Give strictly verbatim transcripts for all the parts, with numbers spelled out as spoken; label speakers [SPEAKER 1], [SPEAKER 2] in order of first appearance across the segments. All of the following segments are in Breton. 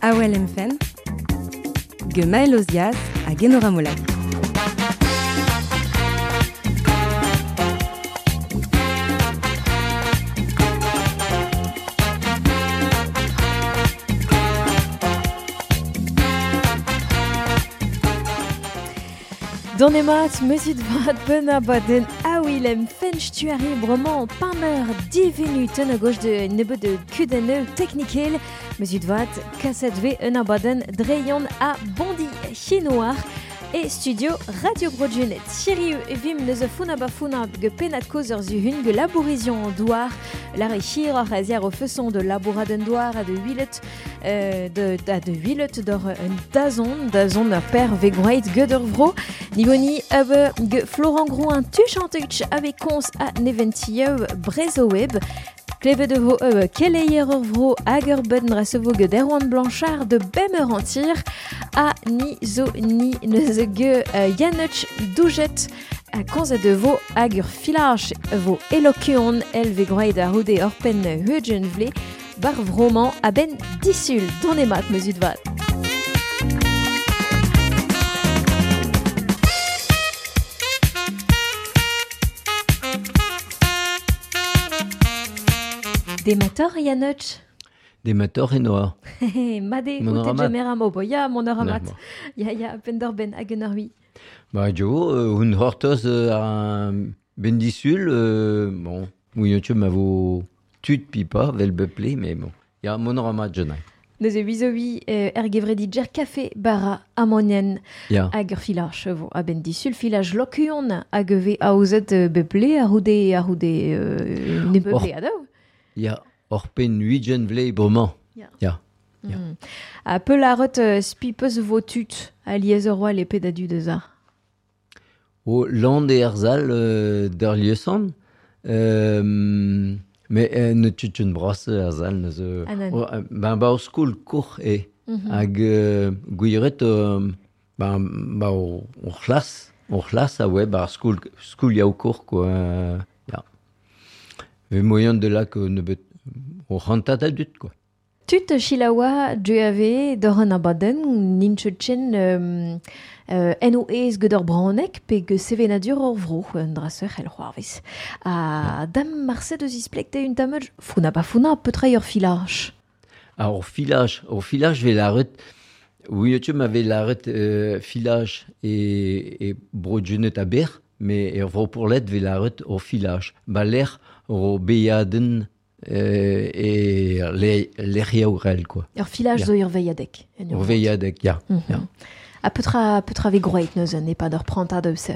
[SPEAKER 1] Awel Emfen, ge Maël Ozias hag Enora Molac.
[SPEAKER 2] Donemat, meuzit vat ben abadenn Awilem fench tuari bremañ pameur divinuten a gauche de nebeud de kudenn teknikel. Meuzit vat kaset ve un abadenn dreion a bondi chinoar e studio Radio Bro Gwened. Chiriu evim neus a funa ba funa ge penat koz ur zuhun ge labourizion douar la rechir ar aziar o feson de labouradenn douar a de huilet euh, de, da de huilet d'or un dazon, dazon ur per ve groeit geud ur vro. Nivoni ebe ge Florent Grouin tuchantuch avec kons a neventieu brezo web. Klevet de vo ebe keleier ur vro hag ur ben resevo ge Erwan Blanchard de bemeur antir a ni zo ni neus ge uh, Yannuch Doujet a konz de vo hag ur filaj vo elokuon el ve groeit a roude ur pen heugen vle bar vroman a ben disul donemat meuzut vat. Demator Yannuch.
[SPEAKER 3] Demator Enoa.
[SPEAKER 2] Made
[SPEAKER 3] Mon
[SPEAKER 2] out
[SPEAKER 3] mat.
[SPEAKER 2] e amo ya mon ur amat.
[SPEAKER 3] Na,
[SPEAKER 2] Ya ya pender ben hag un ur ui.
[SPEAKER 3] Ba jo, euh, un hortoz euh, ar ben disul, euh, bon, mouillon ma vo tud pipa, vel beple, mais bon. Ya mon ur amat jenai.
[SPEAKER 2] Neuze wizo ui euh, er gevredi djer kafe bara amonien
[SPEAKER 3] Ya.
[SPEAKER 2] hag ur filaj vo a ben disul filaj lokuon hag ve aozet euh, beple a roude a roude euh, ne beple
[SPEAKER 3] Or.
[SPEAKER 2] adaou.
[SPEAKER 3] Ya, or pen huigen vle bremañ.
[SPEAKER 2] Ya.
[SPEAKER 3] Ya. Ya.
[SPEAKER 2] Mm. A peu la rot euh, spi peus vo tut a liez ur oa le pedadu deus ar.
[SPEAKER 3] O land e erzal euh, d'ur liesan, euh, mais euh, ne tut un bras erzal neus... Euh,
[SPEAKER 2] Ah, nan.
[SPEAKER 3] o, euh, ben ba o skol kour e.
[SPEAKER 2] Mhm.
[SPEAKER 3] Hag euh, gouiret euh, ben, ba o, o c'hlas, o c'hlas a oe, ba ar skol, skol yaou kour, quoi. Euh, ya. Ve moyen de la que ne bet o c'hantat a dut, quoi.
[SPEAKER 2] Tut chilaoua deuave d'ur an abadenn nintchet chen euh, euh, en o ez ged ur branek pe ge sevenadur ur vro un draseur el c'hoarvez. A dam marse deus isplekte un tameuj founa pa founa petra ur filaj.
[SPEAKER 3] Ah, o filaj, o filaj ve laret, oui, tu m'avais laret euh, filaj e, e bro Gwened a ber, mais er vro pourlet ve laret o filaj. Ba l'er o beiadenn euh, e le, lec'hiaourel, quoi.
[SPEAKER 2] Ur filaj
[SPEAKER 3] Ya.
[SPEAKER 2] zo ur veilhadek. En ur
[SPEAKER 3] O veilhadek, ya.
[SPEAKER 2] Mm
[SPEAKER 3] ya.
[SPEAKER 2] A petra, petra ve groeit neuze ne pa d'ur prantad eus se.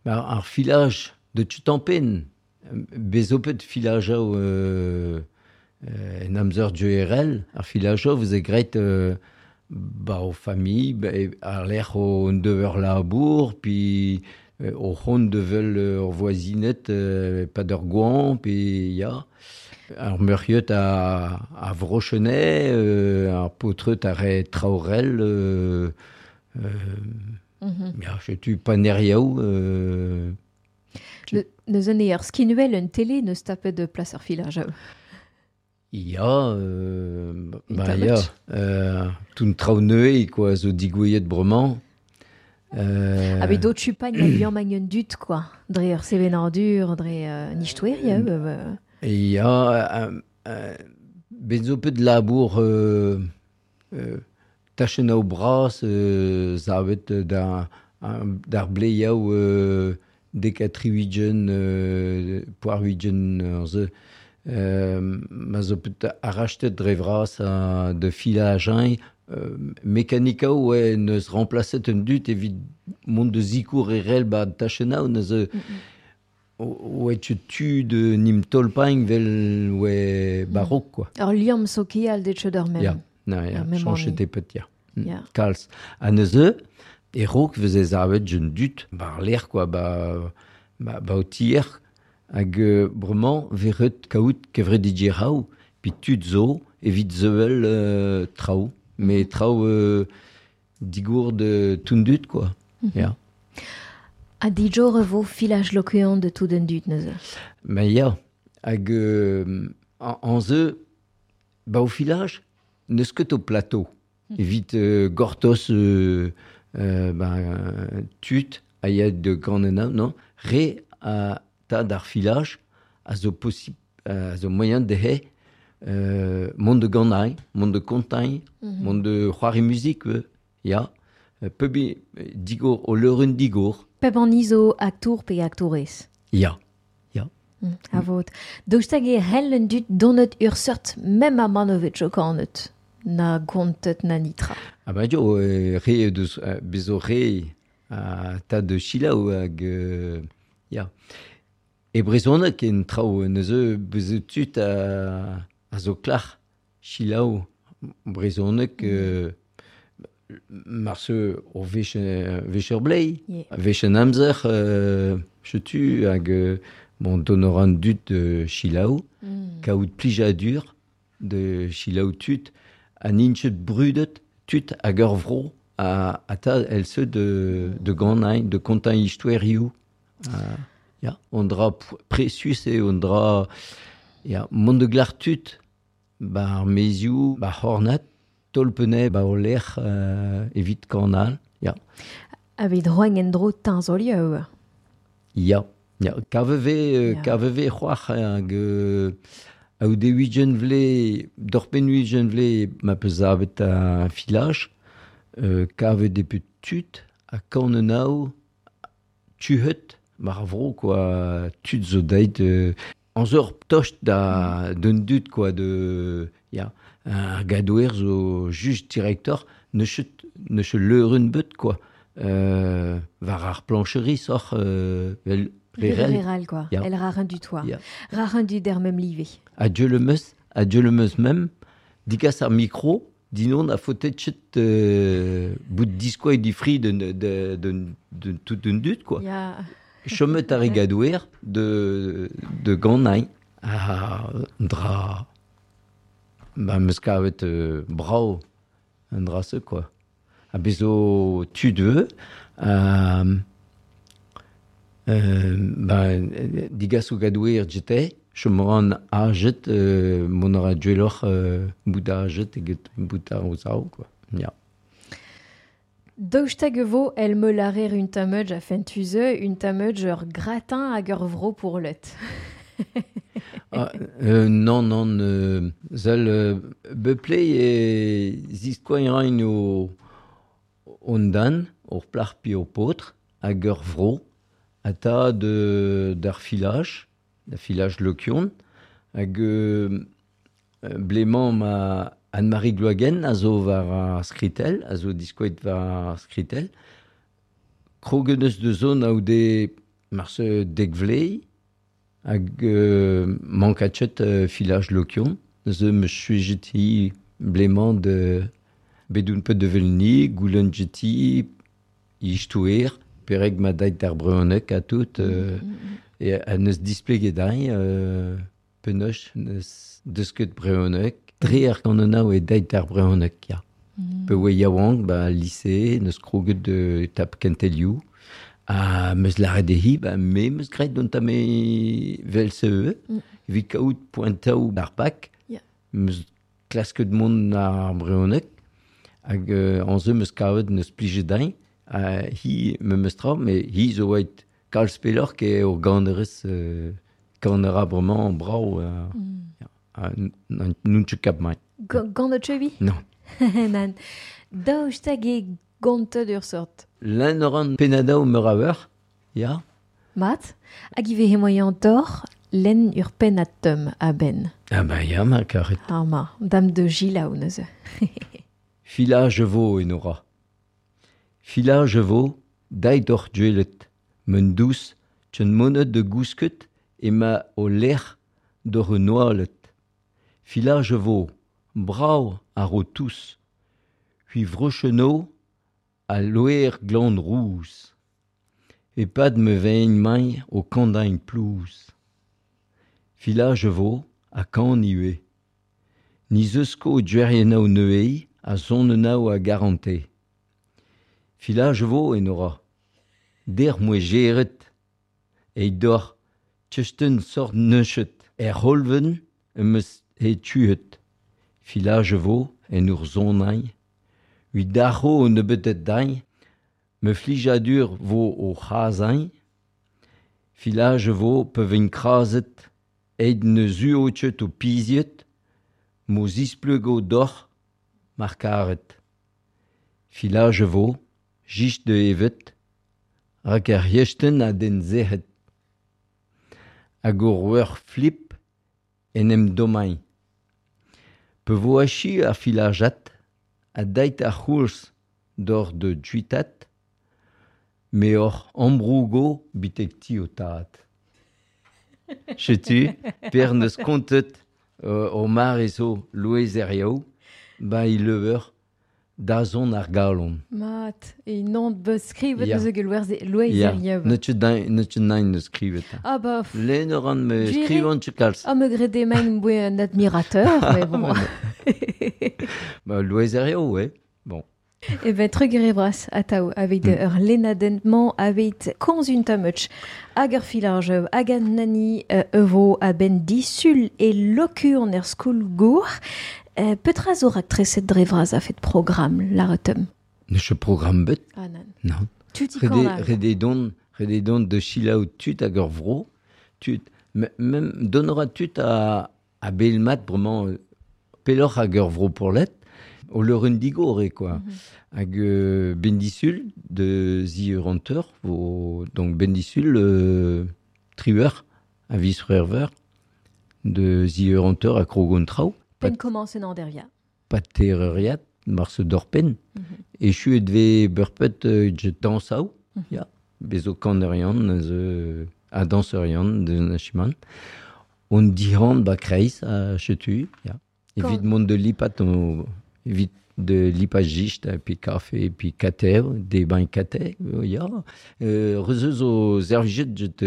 [SPEAKER 3] Ba, ar filaj de tutampen, bezopet filajaou euh, euh, en amzer duerel, ar filajaou vous e greit euh, ba o famille, ba, e, ar lec'h o dever labour, puis euh, o c'hont devel ur voisinet euh, pa d'ur gouan, puis ya. Ar meuriot a, a vrochenet, euh, ar potreut a re traorel, euh, euh,
[SPEAKER 2] Mm -hmm.
[SPEAKER 3] ya, chetu paneriaou, euh,
[SPEAKER 2] Ne, neuze ne ur skinuel un télé neus tapet de plas ur filaj.
[SPEAKER 3] Ya, euh,
[SPEAKER 2] Une
[SPEAKER 3] ba ya,
[SPEAKER 2] tablette.
[SPEAKER 3] euh, tout traoù neue, quoi, zo digouillet bremañ. Euh,
[SPEAKER 2] Ah, bet dot chupagn a liamm hag un dut, quoi. Dre ur sevenadur, dre euh, nichtouer, ya, euh,
[SPEAKER 3] Et ya, euh, euh, ben zo pet labour euh, euh, tachenn ao bras, euh, zavet da, d'ar bleiaou euh, dek a tri-huigen, euh, poar huigen, euh, ze, euh, ma zo pet arachtet dre vras a, de filaj euh, mekanikao oe neus remplacet un dut evit mont de zikour erel ba tachenn neus mm -mm. Oe tu tu de nim tolpain vel oe barok, quoi.
[SPEAKER 2] Ur liamm sokial det cheud ur mem.
[SPEAKER 3] Ya, na, ya,
[SPEAKER 2] Ar mem
[SPEAKER 3] chanchet
[SPEAKER 2] anni.
[SPEAKER 3] e pet, ya. Mm.
[SPEAKER 2] Ya.
[SPEAKER 3] Kalz. A neuze, e rok veze zavet jeun dut, bar l'air, quoi, ba, ba, ba o tier, hag euh, bremañ veret kaout kevret didjeraou, pi tud zo, evit zeuel euh, traoù, mais traoù euh, digour de tundut, quoi. Mm -hmm. Ya.
[SPEAKER 2] A dijor vo filaj lokuan de tout un dut neuze.
[SPEAKER 3] Ma ya, hag euh, an, an ze, ba o filaj, neus ket o plateau. Mm. Evit euh, gortoz euh, euh, ben, tud a ya de gant non, re a ta d'ar filaj a zo posib, a zo moyen dehe euh, mont de ganañ, mont de kontañ, mm -hmm. mont de c'hoari muzik, euh, ya. Peubi digor o leuren digor.
[SPEAKER 2] Peb an izo aktour pe aktourez.
[SPEAKER 3] Ya, ya.
[SPEAKER 2] Mm, a vot. Daoust hag e c'hell un dud donet ur seurt mem a manovet jo kanet na gontet na nitra.
[SPEAKER 3] Ah ben jo, euh, re deus, euh, bezo re a ta de chilaou hag... Euh, ya. E brezhoneg en traoù neuze bezo tud a, a zo klac'h chilaou brezhoneg... Mm. Euh, Marse o vech, vech ur blei, yeah. Vech an amzer, euh, chetu hag euh, bon, donoran dud de chilaou, mm. kaout plijadur de chilaou tud, an inchet brudet tud hag ur vro a, a ta el se de, de ganañ, de kontañ istoerioù. Uh, ya, on dra precius e on dra ya, mont de glar tud, ba ar mezioù, ba c'hornat, tolpene ba o lec'h euh, evit kanal, ya.
[SPEAKER 2] A bet roen en dro teñzolioù.
[SPEAKER 3] Ya, ya. Kaveve, euh, kaveve c'hoar hag euh, a de huit vle, d'orpen huit vle ma peus avet a filaj, euh, kave de put tud a kanenao tuhet mar vro quoi tud zo deit euh, an zeur tocht da d'un dud quoi de ya. Ar gadouer zo just directeur ne chet ne che leuren beut quoi euh, war ar plancherie soc'h euh, vel
[SPEAKER 2] rerel rerel quoi ya. El raren du toit ya. Raren du der mem livé
[SPEAKER 3] a Dieu le meus a Dieu le meus mem digas ar micro dinon a faute chet euh, bout diskoa di fri de de de de, de tout d'un dud quoi
[SPEAKER 2] ya.
[SPEAKER 3] Chomet ar gadouer de de ganañ a dra ba meus kavet euh, brao an dra se quoi. A bezo tud euh, euh, ba digas o gadouer jete, chomoran ajet euh, mon ara dueloc'h euh, bout ajet eget bout ar o quoi. Ya.
[SPEAKER 2] Daoust hag e vo el me larer un tameuj a fentuze, un tameuj ur gratin hag ur vro pour let.
[SPEAKER 3] Ah, euh, non, non, euh, zel euh, beple e ziskoa rain o on dan, ur plac'h pi o paotr, hag ur vro, a ta de d'ar filaj, da filaj lokion, hag euh, blemant ma Anne-Marie Gloagen a zo war ar skritel, a zo diskoet war ar skritel, krogen eus de zon a de marse dek vlei, hag euh, mankatchet euh, filaj lokion, ze me suijeti blemant de bedoun pet de velni, goulen jeti, ichtouer, pereg ma dait d'ar breunek a tout, euh, mm -hmm. e a neus displeget dañ, euh, penoch neus deusket breunek, dre ar kanonao e dait d'ar breunek, ya. Mm. Pe oe yaouank, ba lycée, neus kroget de tap kentelioù, a meus laret dehi, ba me meus graet dont ame vel se mm. evit kaout poentaou ar pak,
[SPEAKER 2] yeah.
[SPEAKER 3] meus klasket mont ar breunek, hag euh, an ze meus kavet neus plijet dañ, ha hi me meus tra, me hi zo oait kalz peloc'h ke ur ganerez euh, kanera bremañ brao, euh,
[SPEAKER 2] mm.
[SPEAKER 3] ya, n'oun ket kap mai.
[SPEAKER 2] Gant o chevi?
[SPEAKER 3] Non.
[SPEAKER 2] Nan. Daoust hag e gontet ur sort.
[SPEAKER 3] L'un oran penadao meur a eur, ya.
[SPEAKER 2] Mat, hag i vehe moyen tor, len ur pennad teum a ben.
[SPEAKER 3] Ah ben ya, ma karet.
[SPEAKER 2] Ah ma, dam de gilaou neuze.
[SPEAKER 3] Filaj vo enora. Filaj vo, dait oc'h duelet, men dous, tchen monet de gousket, e ma o lec'h d'or noalet. Filaj vo, brao ar o tous, hui vrocheno a loer gland rouz. E pad me vein main o kandain plouz. Filaj vo a kan iue. Ni zeusko duerienao neuei a zonenao a garante. Filaj vo enora. Der moe geret. Eit dor tchesten sort neuchet. Er holven em eus he tuet. Filaj vo en ur zonain. Ui darro o nebetet dañ, me flijadur vo o c'hazañ, filage vo pe vin krazet, eid ne zuochet o piziet, mo zispleugo doc'h mar karet. Filage vo, jist de evet, rak ar yesten a den zec'het. Hag ur wer flip en em domain. Pe vo achi ar filajat, a dait ar c'houlz d'or de juitat, me or ambrougo bitek ti o tad. Chetu, per neus kontet euh, o mar eso Loeiz Herriaou, ba i leveur da zon ar galon.
[SPEAKER 2] Mat, e non beus skrivet eus eus gelwerze Loeiz Herriaou.
[SPEAKER 3] Ne tut nain neus skrivet.
[SPEAKER 2] Ah bah...
[SPEAKER 3] Len oran me skrivan tu kalz.
[SPEAKER 2] Ah me grede main boe un admirateur, mais bon.
[SPEAKER 3] Bah, Loeiz Herriaou, ouais. Bon.
[SPEAKER 2] E ben trugere bras atao aveit mm. ur lenadentman aveit konzun tamuch hag ur filaj hag an nani euh, evo a ben disul e lokur er skoul gour. Euh, petra zo rak treset dre vras a fet program la retum?
[SPEAKER 3] Ne che program bet?
[SPEAKER 2] Ah nan.
[SPEAKER 3] Non.
[SPEAKER 2] Tuti
[SPEAKER 3] kan Rede don, rede don de chilaou tut hag ur vro, tut, mem donora tut a, a belmat bremañ peloc'h hag ur vro pour let, o leur un digore, quoi. Mm -hmm. Hag euh, bendisul de zi renteur, vo, donc bendisul euh, trieur, a vis frerver, de zi renteur a krogon trao.
[SPEAKER 2] Pen commence en andervia.
[SPEAKER 3] Pat terreriat, marse dorpen. Mm -hmm. E chu edve beurpet euh, je dansaou, mm -hmm. ya. Bezo kanerian, ze a danserian de nachiman. On dihan ba kreiz a chetu, ya. Evit mont de lipat o... Evit de lipajist, puis café, puis kater, des bains kater, ya. Euh, rezeus o servijet jet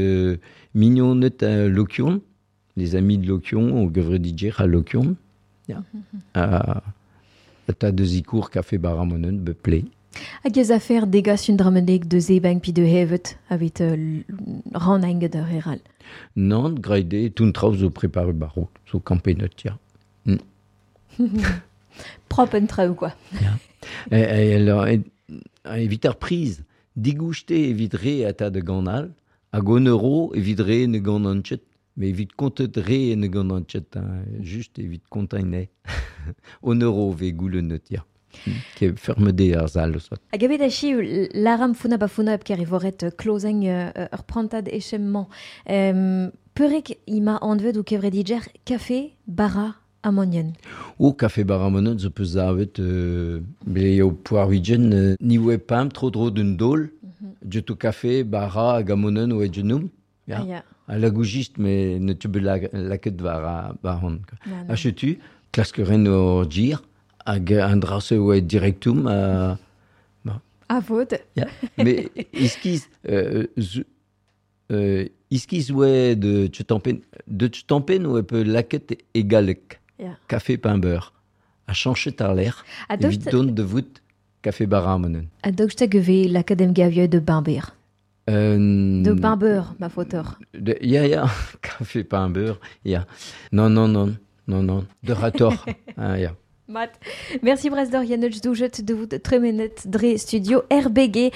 [SPEAKER 3] mignonet a Lokion, les amis de Lokion, o gevredidjer a Lokion, ya. A, ta de zikour café baramonen, be ple.
[SPEAKER 2] Hag ez afer degas un dramenek de zebang pi de hevet aveit euh, ran enge de reral.
[SPEAKER 3] Non, graide, tout traoù zo prepare baro, zo kampenet, ya. Mm.
[SPEAKER 2] Prop un traoù, quoi.
[SPEAKER 3] Ja. E, e, alors, e, evit ar priz, digouchte evit re a ta de ganal, hag on euro evit re ne gant an chet, mais evit kontet re ne gant an chet, hein, just evit kontaine. On euro ve goulennet, ya. Ke ferme de ar zal sot.
[SPEAKER 2] Hag evet achi laram funa ba funa ker evoret klozeng ur prantad echemman. Um, Peurek ima anvet ou kevredidjer café bara amonien.
[SPEAKER 3] O café bara amonien zo peus avet euh, ble eo poar widjen euh, ni oe pam tro dro d'un dol mm -hmm. Djeto café bara hag amonien oe djenoum.
[SPEAKER 2] Ya. Yeah.
[SPEAKER 3] A la goujist me ne tu be la laket var a baron. A chetu klaskeren o djir hag an drase oe directum a
[SPEAKER 2] ba. A vod.
[SPEAKER 3] Ya. Mais iskiz euh, euh, iskiz oe de tchutampen de tchutampen oe pe laket egalek.
[SPEAKER 2] Yeah.
[SPEAKER 3] Café pain beurre. A chanchet ar l'air. Evit don de vout café bara amonen.
[SPEAKER 2] A docht geve l'akadem gavio de bain beurre.
[SPEAKER 3] Euh,
[SPEAKER 2] de pain beurre, ma fauteur.
[SPEAKER 3] De, ya, ya, café pain beurre, ya. Non, non, non, non, non. De rator. ah, ya.
[SPEAKER 2] Mat. Merci Brasdor Yannuch doujet de vout tremenet dre studio R B G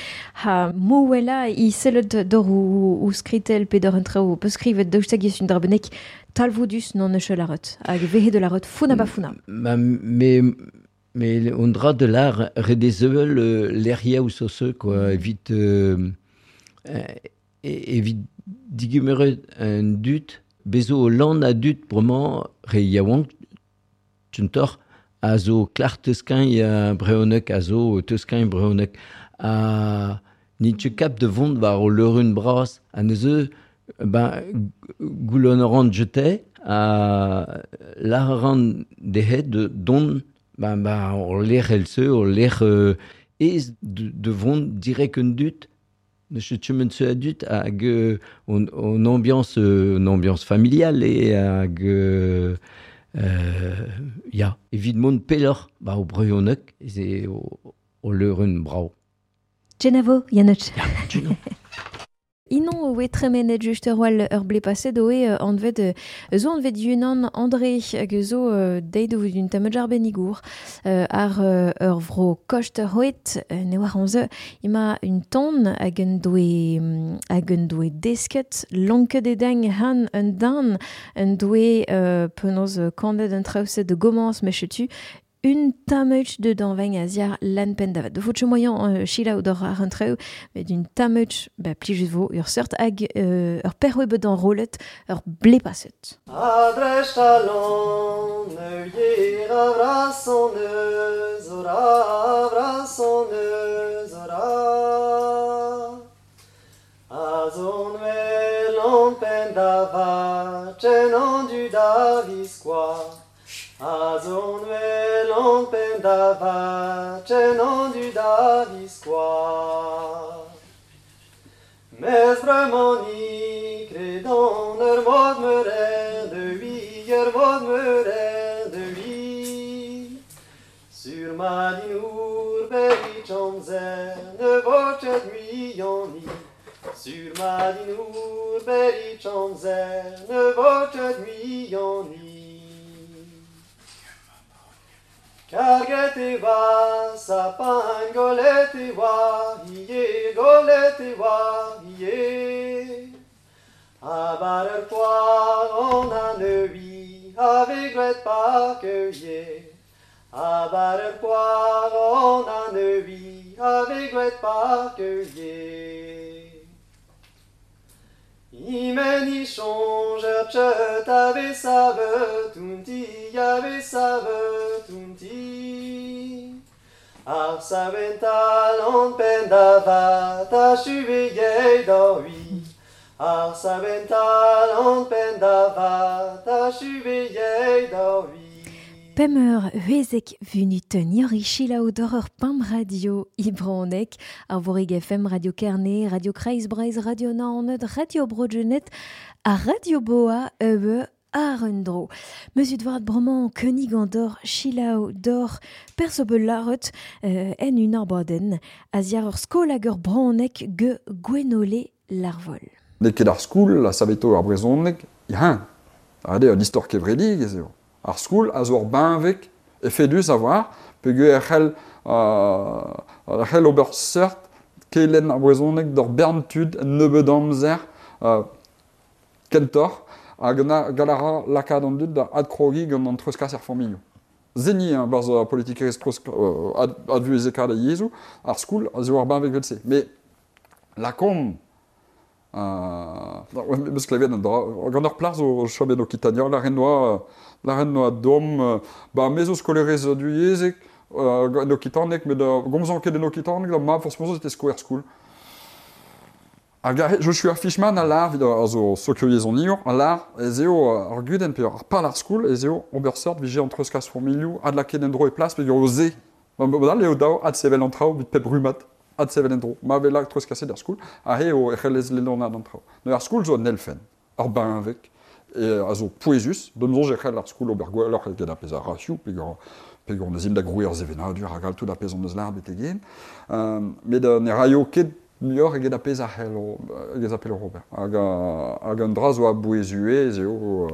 [SPEAKER 2] ha mouela i sellet dor ou, ou skritel pe dor un trao pe skrivet daoust hag un drabenek talvoudus non eus la rot hag vehe de la rot funa ba funa.
[SPEAKER 3] Ma, mais mais on dra de l'art redezevel l'eria ou sosse quoi evit euh, evit digemeret un dut bezo lan a dut bremañ re yaouank tuntor a zo klar teuskein ya breonek a zo teuskein breonek a ni tu kap de vont war o leurun bras a neuze ben goulon ran jete a la ran dehet de don ben ben o lec'h else o lec'h euh, ez de, de vont direct un dut ne chemen se adut hag on, on ambiance une ambiance familiale et hag euh, Euh, ya, evit mont pelloc'h ba o breonek ez eo o, o leurun brao.
[SPEAKER 2] Genavo, Yannuch.
[SPEAKER 3] Ya, genavo.
[SPEAKER 2] Inon oe tremenet just ur wal ur ble paset oe anvet zo anvet yunan André hag zo deit o d'un tamm jar benigour ar ur vro kost hoet ne war anze ima un ton hag un doe hag un doe desket lonket edeng han un dan un doe penaos kandet un traoset de gomans mechetu un tamuch de danveng a ziar lan pen davat. De vout moyen euh, chila ou d'or ar un treu, met un tamuch, ba plijus vo ur seurt hag euh, ur perwe bet an rolet ur ble paset.
[SPEAKER 4] Adrech talon, neuier avrason eus ora, avrason eus ora. Azon welon pen davat, chen an du daviskoa. Azon welon pen davat, chen an du daviskoa. Mes bremani kredon ur mod meuren de ui, ur mod meuren de ui. Sur ma dinour berit amzer, ne vocet muiani. Sur ma dinour berit amzer, ne vocet muiani. Karget e oa, sapin golet e oa, ie, golet e oa, ie. A bar ur poar an an eui, ave gret park ie. A bar ur poar an an eui, ave gret park ie. Imen i chonj ur tcheut ave savet unti, ave savet unti. Ar savental an pen davat a chuve yei da ui. Ar savental an pen davat a chuve yei da ui.
[SPEAKER 2] Pemeur huezek vunuten yori chila d'or ur pam radio ibronek ar vorig F M, Radio Kerne, Radio Kreiz Breiz, Radio Naoned, Radio Broadjenet, a Radio Boa eue ar un dro. Meus udvad bremañ König an d'or chilao d'or perso be laret euh, en un arbaden a ziar ur skol hag ur braonek ge Gwenole Larvol.
[SPEAKER 5] N'eo ket ar skoul a saveto ar brezhoneg, ya. Ade an istor kevredig ez eo. Ar skoul a zo ur benveg efedus a war, peogwir e c'hell euh, c'hell ober seurt kelenn ar brezhoneg d'ur bern tud un nebeud amzer euh, kentoc'h hag gall a ra lakaat an dud da adkrogiñ gant an treuzkas er familhoù. Zeni hein, barzh ar politikerezh treuzk euh, ad, advuhezekaat a yezhoù, ar skoul a zo ur benveg vel-se. Met lakaomp Euh, meus klevet an dra, gant ur plas o chom en Okitania, la ren noa, la ren noa dom, ba me zo skolerez du yezek, euh, en Okitanek, met da gomzan ket en Okitanek, da ma forcément c'était sko er skoul. Hag Joshua Fishman a lar, vid a zo sokioyezoniour, a lar ez eo ar gudenn pe ar pal ar skoul, ez eo ober seurt vije an treuzkas familhoù, ad lakaet en dro e plas, pe o ze. Ba eo dao ad sevel an traoù, vit pep rumat. Ad sevel en dro. Ma vez lak treuzkaset er skoul, a he o ec'hellez lenonad an traoù. Neuze ar skoul zo an elfenn, ar benveg, e a zo pouezus, d'am soñj e c'hell ar skoul ober gwelloc'h eget ar pezh a rasioù, peogwir peogwir neus int da grouiñ ar sevenadur hag all tout ar pezh an eus lâret betek hen. Euh, met ne raio ket muioc'h eget ar pezh a c'hell eget ar pezh ober. Hag, hag an dra zo a bouezue ez eo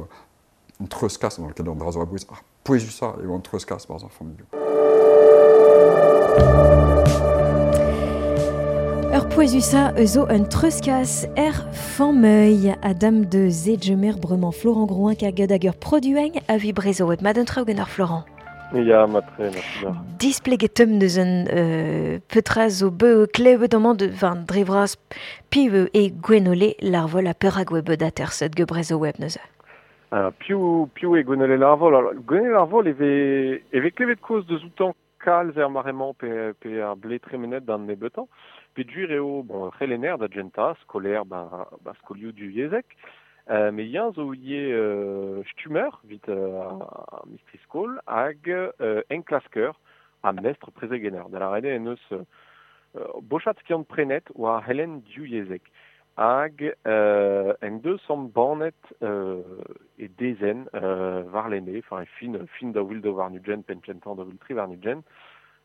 [SPEAKER 5] an treuzkas, an ket an dra zo a bouez, ar pouezusañ eo an treuzkas barzh ar familhoù.
[SPEAKER 2] Ur pouezusa eus un treuzkas er fameuil Adam de Zedjemer bremañ Florent Grouin karget hag ur produeng a vi brezo web mad un traoù gant ar Florent.
[SPEAKER 6] Ya, matre, merci.
[SPEAKER 2] Displeget deus un euh, petra zo beu klevet amañ de van dre vras piv e Gwenole Larvol a perak web d'aterset ge brezo web neuze.
[SPEAKER 6] Alors, piv, piv e Gwenole Larvol. Alors, Gwenole Larvol eve, eve klevet koz deus outan kalz er maremañ pe, pe ar ble tremenet d'an nebeutañ. Pe dur eo, bon, c'helener da genta, skolaer ba, ba skolioù du yezek, euh, me yann zo ie euh, stummer, vit euh, a mistri skol, hag euh, enklasker a mestr prezegener. Da la rede en eus euh, bochat skiant prenet oa helen du yezek. Hag euh, en deus am banet euh, e dezen euh, war lene, enfin e fin, fin da wil da war nugen, pen kentan da wil tri war nugen,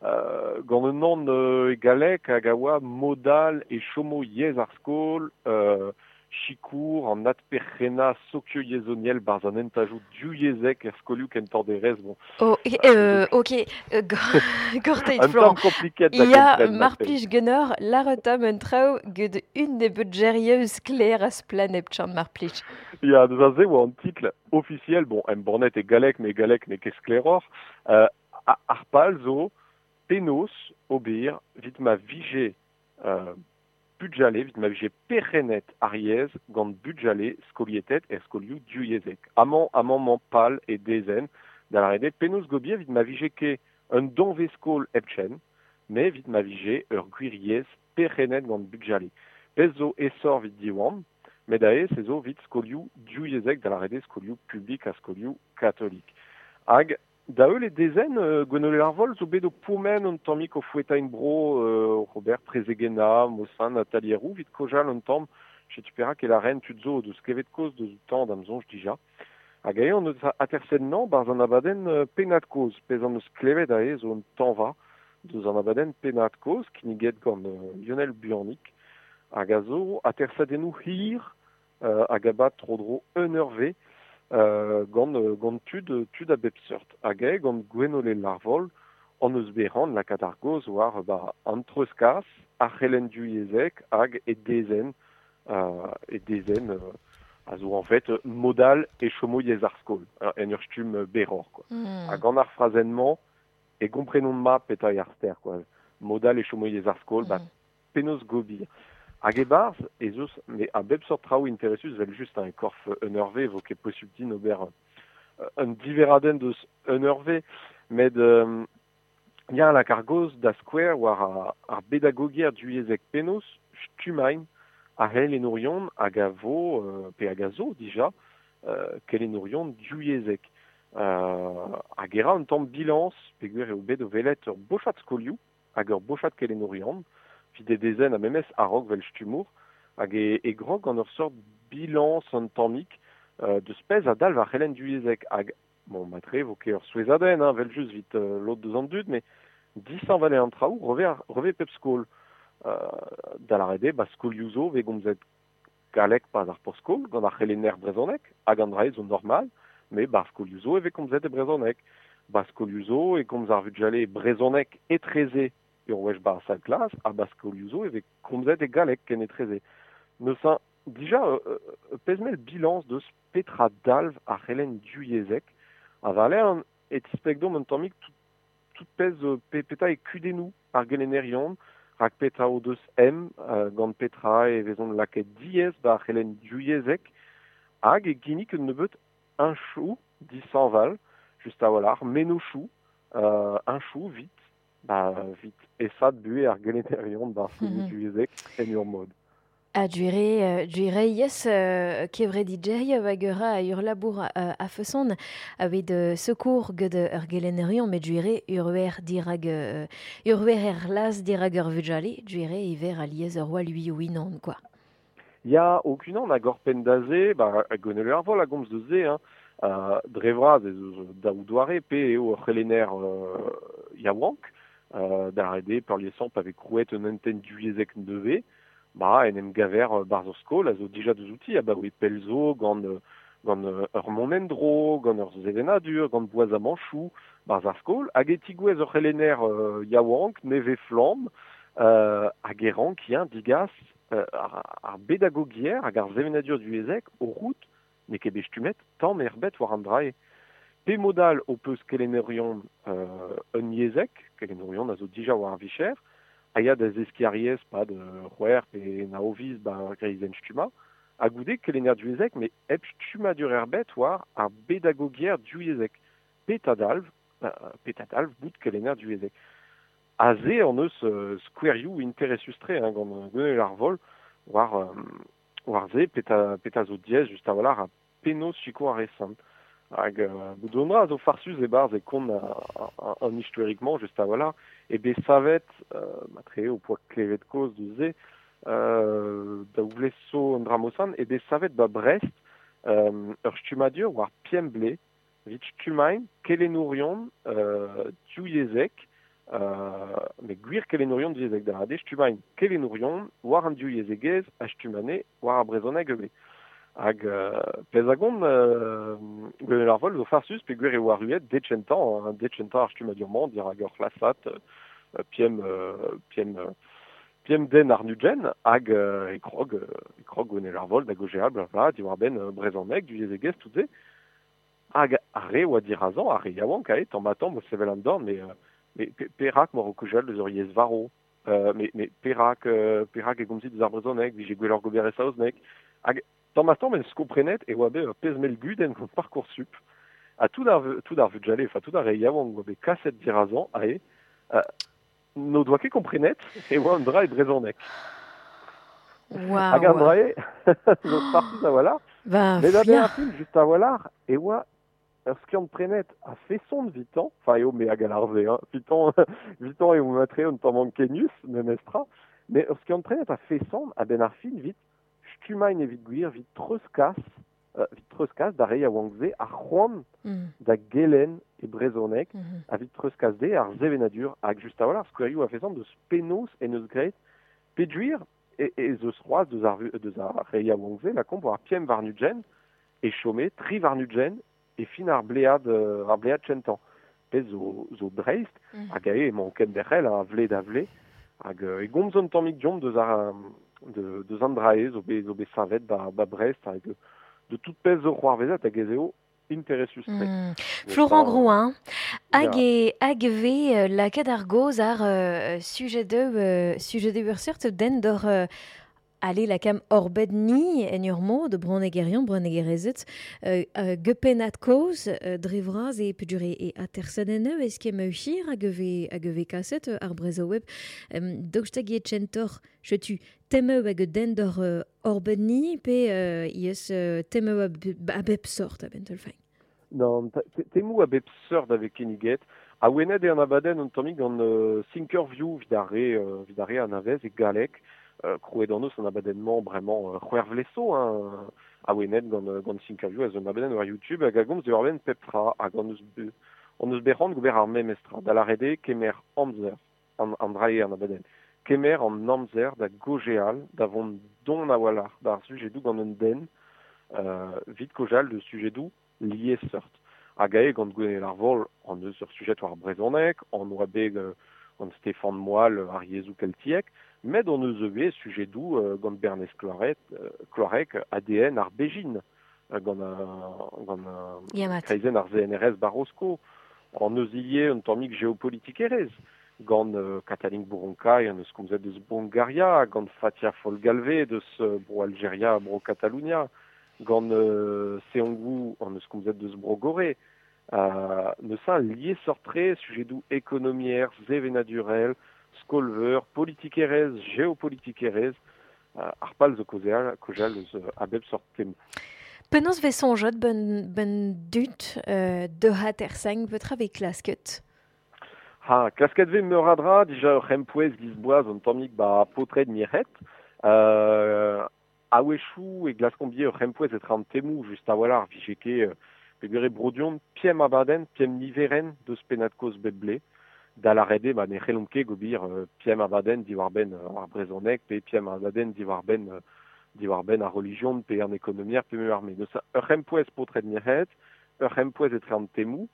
[SPEAKER 6] Euh, gant un an euh, e galek hag a oa modal e chomo yez ar skol, euh, chikour an adperc'henna sokio yezoniel barz an entajou du yezek er skolioù kentor derez, bon.
[SPEAKER 2] Oh, euh, ok, euh, gorteit
[SPEAKER 6] Florent.
[SPEAKER 2] Ya mar plij genor, laretam un traoù ged un nebeud gerieus kler a splan ep chan mar plij.
[SPEAKER 6] Ya, deus a se oa an titl officiel, bon, em bornet e galek, me galek ne ket skleror, euh, ar pal zo penos ober vit ma vije euh, budjale, vit ma vije perrenet ar yez gant budjale skolietet er skolioù du yezek. Amañ, amañ man pal e dezen, da la rede penos gobier vit ma vije ke un donve skol epchen, me vit ma vije ur gwir yez perrenet gant budjale. Pez zo esor vit diwan, met ae se zo vit skolioù du yezek da la rede skolioù publik ha skolioù katolik. Hag, da eul e dezen, euh, Gwenole Larvol zo bet o pourmen un tammik o foueta in bro euh, Robert Prezegena, Mosan, Nathalie Roux, vit kojal un tamm, chetu perak e la reine tud zo deus klevet koz deus tamm d'am zonj dija. Hag ae on eus atersen nan barz an abadenn euh, pennad koz, pez an eus klevet ae zo un tañva deus an abadenn pennad koz, kinniget gant euh, Lionel Buannic, hag a zo atersadennoù hir euh, hag abat tro-dro un eur ve, Euh, gant, gant tud, tud a bep seurt. Hag eo gant Gwenole Larvol, an eus beran lakaat ar goz war ba, an treuzkas, ar c'helenn du yezek hag e dezen, euh, e dezen euh, a zo en fait modal e chomo yez ar skol, en ur stumm beror, quoi. Mm. Hag gant ar frazennement, e gomprenon ma peta ar ster, quoi. Modal e chomo yez ar skol, mm. ba, penaos gobir. Hag e barz, ez eus, me a bep sort traoù interesus vel just un korf un eurve, vo ket posubl din ober un diveradenn deus un eurve, met euh, ya lak ar goz da skouer war ar, ar bedagogier du yezek penaos, stumain, a hel enourion hag a vo, euh, pe hag a zo dija, euh, kel enourion du yezek. Euh, hag era un tamm bilans, peogwir eo bet o velet ur bochat skolioù, hag ur bochat kel enourion, vit e dezen a memes a-raok vel stumour, hag e, e grog gant ur sort bilans an tammik euh, deus pezh a dalv ar c'helenn du yezek. Hag, bon, matre, vo ket ur souezhadenn, hein, vel just vit euh, lod deus an dud, mais dishañval eo an traoù, reve, ar, reve pep skol. Euh, da la rede, ba skolioù zo, ve gomzet galek pas ar por skol, gant ar c'helenner brezhoneg, hag an dra zo normal, mais ba skolioù zo e ve komzet e brezhoneg. Ba skolioù zo e komz ar vugale brezhoneg etreze ur wech bar sal klas, ha ba skolioù zo e vez komzet e galek ken etreze. Neuze, dija, euh, pezmel bilans deus petra dalv ar c'helenn du yezek, a valer e tispleg domp un tammik tout, tout pezh pe, peta e kudennoù ar gelennerion, rak petra o deus em, euh, gant petra e vezont lakaet diaes ba ar c'helenn du yezek, hag e ginnig un nebeut un chou dishañval, just a-walc'h, menoù euh, un chou vit, ba vit esat buhe ar gelennerion bar skolioù du yezek en ur mod.
[SPEAKER 2] A duere, duere yes, euh, kevre digeria hag ur a ur labour euh, a feson aved euh, secours ged ur gelennerion, met duere ur wer dirag euh, ur wer er las dirag ur vugale, duere iver aliez ur oa lui ouinan, quoi.
[SPEAKER 6] Ya, okunan hag ur penn da ze, ba, Gwenole Larvol a gomz deus ze, hein, euh, dre vras ez eus daou doare pe eo ur c'helenner euh, yaouank, euh, da rede peurliesañ pa vez krouet un hentenn du yezek nevez, ba en em gaver barz ur skol a zo dija deus outi, a ba oe pell zo gant, gant ur mont en-dro, gant ur sevenadur, gant boazamanchoù, barz ar skol, hag e tigouez ur c'helenner euh, yaouank, nevez flamm, euh, hag e rank ya digas euh, ar, ar bedagogier hag ar sevenadur du yezek o rout n'eo ket bet stummet tamm erbet war an drae. Pe modal o peus kelennerion euh, un yezek, kelennerion a zo dija war ar vicher, a ya da zeskiñ ar yezh pad c'hwec'h pe nao viz ba greizenn stummañ, ha goude kelenner du yezek, met hep stummadur erbet war ar bedagogier du yezek. Petra dalv, euh, petra dalv bout kelenner du yezek. Aze an eus euh, skouerioù interesus-tre, hein, gant Gwenole Larvol, war, euh, war ze peta, peta zo diaes just a-walc'h a penaos sikour ar resan. Hag euh, bout a zo farsus e-barzh e kont an istoerikmañ just a-walc'h, e bet savet, euh, matre o poa klevet koz deus ze, euh, da ouvlez so an dramosan, e bet savet ba Brest euh, ur stummadur war piemble, vit stummain kelenourion euh, div yezek, Euh, met gwir kelennourion divyezhek da ade stummain kelennourion war an div yezhegezh ha stummane war ar brezhoneg ivez. Hag euh, pezh a gont euh, Gwenel ar Vol zo farsus pe gwir eo arruet decentañ, hein, decentañ ar stummadur-mañ dirak ur c'hlasad euh, piem, euh, piem, euh, piem den ar nugen hag euh, e krog, e krog Gwenel ar Vol da gojeal bla bla diwar benn euh, brezhoneg divyezhegezh tout se. Hag ar re oa dirazañ, ar re yaouank ae, tamm ha tamm o sevel an dorn, mais euh, mais perak mor o kojal deus ur yezh varo, euh, mais, mais perak, euh, perak e gomzit deus ar brezhoneg, vije gwelloc'h gober e saozneg. Hag tamm ha tamm en skomprenet e oa bet ur pezh mell gudenn gant Parcoursup. Ha tout ar, tout ar vugale, enfin tout ar re yaouank oa bet kaset dirazañ, ae, euh, n'o doa ket komprenet e oa an dra e brezhoneg.
[SPEAKER 2] Wow.
[SPEAKER 6] Hag an dra e, zo farsus a-walc'h.
[SPEAKER 2] Ben,
[SPEAKER 6] Mais da
[SPEAKER 2] fia.
[SPEAKER 6] ben ar film, just a-walc'h, e oa ur skiant prenet a feson vitan, enfin eo me hag al arze, hein, vitan, vitan eo matre un tamm ankenius, memestra, mais ur skiant prenet a feson a ben ar fin vit stummain evit gwir, vit treuzkas, euh, vit treuzkas da reiñ a oankze ar c'hoant
[SPEAKER 2] Mm.
[SPEAKER 6] da gelen e brezhoneg,
[SPEAKER 2] Mm-hmm.
[SPEAKER 6] a vit treuzkas de ar sevenadur hag just a-walc'h skouerioù a feson deus penaos en eus graet peduir e, e zeus c'hoazh deus ar, deus ar reiñ a oankze, la komp war piem war nugen e chome tri war nugen e fin ar blead, euh, ar blead chentan. Pezh zo, zo dreist,
[SPEAKER 2] Mm.
[SPEAKER 6] hag ae emañ kenderc'hel a vle da vle, hag euh, e gomz un tammig deomp deus ar, de, deus an drae zo bet, zo bet savet ba, ba Brest, hag de tout pezh zo c'hoarvezet hag ez eo interesus tre.
[SPEAKER 2] Mm.
[SPEAKER 6] Mais
[SPEAKER 2] Florent
[SPEAKER 6] ça,
[SPEAKER 2] Grouin, hag
[SPEAKER 6] Ya.
[SPEAKER 2] e, hag ve euh, lakaat ar goz ar euh, sujet de euh, sujet de ur seurt den d'or euh, ale lakam orbed ni en ur mod bronnegerion, bronnegerezet, euh, euh, gepenat koz, euh, dre vras e pudure e atersadeneu, eus ket ma hir hag ve, hag ve kaset euh, ar brezo web. Euh, Daoust hag e tchentor, chetu, temeu hag den d'or euh, orbed ni, pe euh, ies euh, temeu a, a bep sort a ben teulfain.
[SPEAKER 6] Non, te- temou a bep seurt avec kinniget. A wenet e an abadenn un tammig gant euh, Thinkerview vid ar re, euh, vid ar re anavez e galleg, euh, krouet an eus an abadenn-mañ bremañ euh, c'hwec'h vleso, hein, a wenet gant, euh, gant Thinkerview a zo un abadenn war YouTube hag a gomz diwar benn pep tra hag an eus be, an eus bet c'hoant gober ar memes tra. Da lâret eo kemer amzer, an, an dra eo an abadenn. Kemer an amzer da gojeal, da vont don a-walc'h d'ar sujedoù gant un den, euh, vit kojal de sujedoù liesseurt. Hag ae gant Gwenel ar Vol an eus ur sujet war brezhoneg, an oa bet euh, gant Stéphane Moal ar yezhoù keltiek, met on eus ivez sujedoù euh, gant Bernez Cloarec, euh, Cloarec A D N ar Bejin, euh, gant, euh, gant, euh,
[SPEAKER 2] Yamat.
[SPEAKER 6] kreizenn ar Z N R S Barrosko, an eus ivez un tammig geopolitikerezh, gant, euh, Katalin Bouronka, an eus komzet deus Bongaria, gant Fatia Folgalvé deus, euh, bro Algeria, bro Catalunya, gant, euh, Seongwu, an eus komzet deus bro Gorée. Euh, neus un liesseurt-tre, sujedoù ekonomier, sevenadurel, skolveur, politikerezh, geopolitikerezh, euh, ar pal zo kaozeal, kaozeal eus, euh, a bep sort tem.
[SPEAKER 2] Penaos vez soñjet ben, ben dut, euh, de hatersang petra vez klasket?
[SPEAKER 6] Ha, klasket vez meur a dra, dija ur c'hempouez gizboaz un tammig ba potred mirc'hed. Euh, a-wechoù e glaskombier ur c'hempouez etre an temou just a-walc'h vije ket, euh, pegwir e brodion piem abadenn, piem niveren deus pennad-kozh bep blez. Da lâret eo, ba, ne c'hellomp ket gobir, euh, piem abadenn diwar-benn, euh, ar brezhoneg, pe piem abadenn diwar-benn, euh, diwar-benn ar relijion, pe an ekonomier, pe meur ar me. Deus ur c'hempouez potred mirc'hed, ur c'hempouez etre an temou,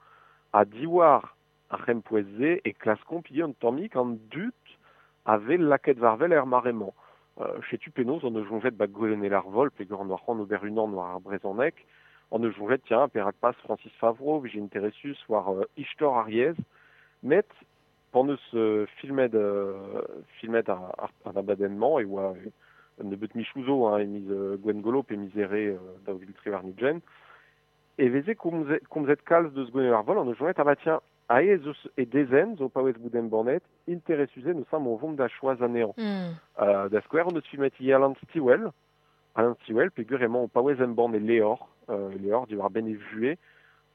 [SPEAKER 6] ha diwar ar c'hempouez-se e klaskomp ivez un tammig an dud a vez lakaet war-wel er mare-mañ. Euh, chetu penaos on eus soñjet ba Gwenel ar Vol, peogwir an oa c'hoant ober unan war ar brezhoneg, on eus soñjet, tiens, perak pas Francis Favreau, vije interesus war, euh, istor ar yezh, met pan eus, euh, filmet, euh, filmet ar, ar, an abadenn-mañ, e oa, euh, un nebeut michouzo, hein, e miz, euh, Gwengolo pe miz Here, euh, daou vil tri warn-ugent, e veze komzet, komzet kalz deus Gwenel ar Vol, on eus soñjet, ah bah tiens, ae ez eus e dezenn zo paouez bout embannet, interesuze neus am o vont da choaz anezhañ.
[SPEAKER 2] Mm.
[SPEAKER 6] Euh, da skouer, on eus filmet ivez Alan Stivell, Alan Stivell, peogwir emañ o paouez embann e Leor, euh, Leor diwar benn e vuhez,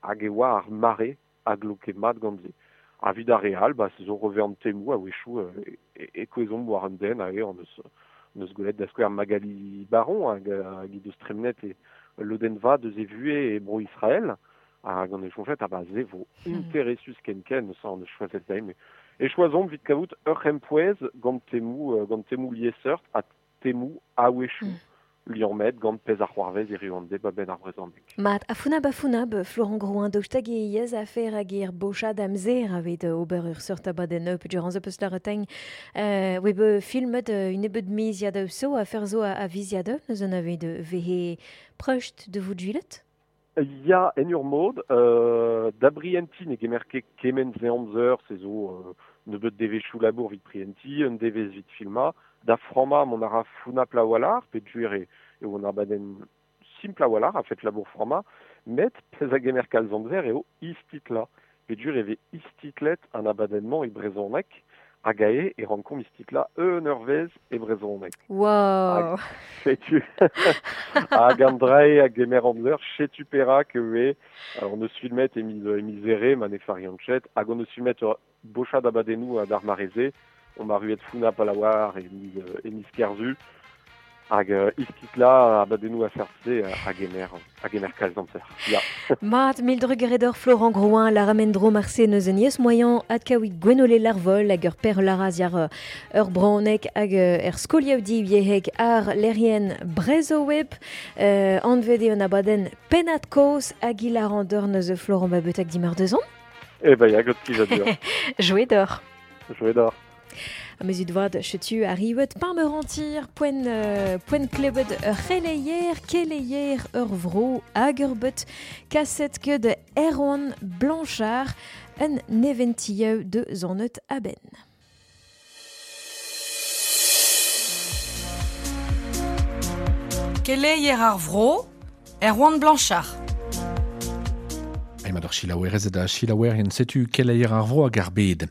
[SPEAKER 6] hag e oa ar mare a gloke mat gant se. Ha vid ar re all, ba, se zo reve an temou a-wechoù, euh, e, e kouezomp war un den, ae, on eus, on eus gwelet da skouer Magali Baron, hag, hag he deus tremenet e lodenn vat deus e vuhez e bro Israël, hag an eus soñjet, ah ba, se vo
[SPEAKER 2] Hmm.
[SPEAKER 6] interesus ken-ken, ça, on eus choazet da, mais E choazomp vit kavout ur c'hempouez gant temou, euh, gant temou liesseurt ha temou a-wechoù mm. liammet gant pezh ar c'hoarvez e riwande ba ben ar brezhoneg.
[SPEAKER 2] Mat, a funab a funab, Florent Grouin daoust hag e yez afer hag er bochad amzer aveit ober ur seurt abadenn up durant zo peus la retegn euh, oe be filmet un nebeud miziad so afer zo a, a viziad neus an aveit vehe preust de vout juilet?
[SPEAKER 6] Ya en ur mod, euh, da brienti ne gemer ket kement ze amzer, se zo euh, nebeud devezhioù labour vit prienti, un devezh vit filma, da frama mon ara funa plawalar, pe duer e, e on abadenn simpl a-walc'h a fet labour frama, met pezh a gemer kalz amzer eo istitla. Pe duer e vez istitlet an abadenn-mañ e brezhoneg, hag ae e rankomp istitla un eurvezh e brezhoneg.
[SPEAKER 2] Wow.
[SPEAKER 6] Hag setu hag an drae a gemer amzer, setu perak eo, on eus filmet e miz, e miz ere, ma ne fariant chet, hag on eus filmet ur bochad abadennoù a d'ar mareze, on ma ruet funa palawar e miz, e miz kerzu, hag uh, istitla abadennoù a sertse a gemer, a gemer kalz amzer. Ya.
[SPEAKER 2] Mat, mil drugaredor Florent Grouin, la ramendro marse neus en yes moyen adkaouit Gwenole Larvol hag ur per laraz yar ur braonek hag er skoliaudi yeheg ar lerien Brezhoweb euh, anvet eo an abadenn pennad kaoz hag hilarandor neus Florent Babet hag dimar deuzon.
[SPEAKER 6] Eh ben ya, gant plijadur.
[SPEAKER 2] Jouet d'or.
[SPEAKER 6] Jouet d'or.
[SPEAKER 2] A meus vad chetu a riwet par me rentir poen, euh, poen klebet ur c'heleier, keleier ur vro hag ur bet kaset ket Erwan Blanchard un neventieu de zonnet aben.
[SPEAKER 7] Keleier ar vro, Erwan Blanchard.
[SPEAKER 8] Emañ d'ar chilaouerez da chilaouerien setu keleier ar vro hag ar bed.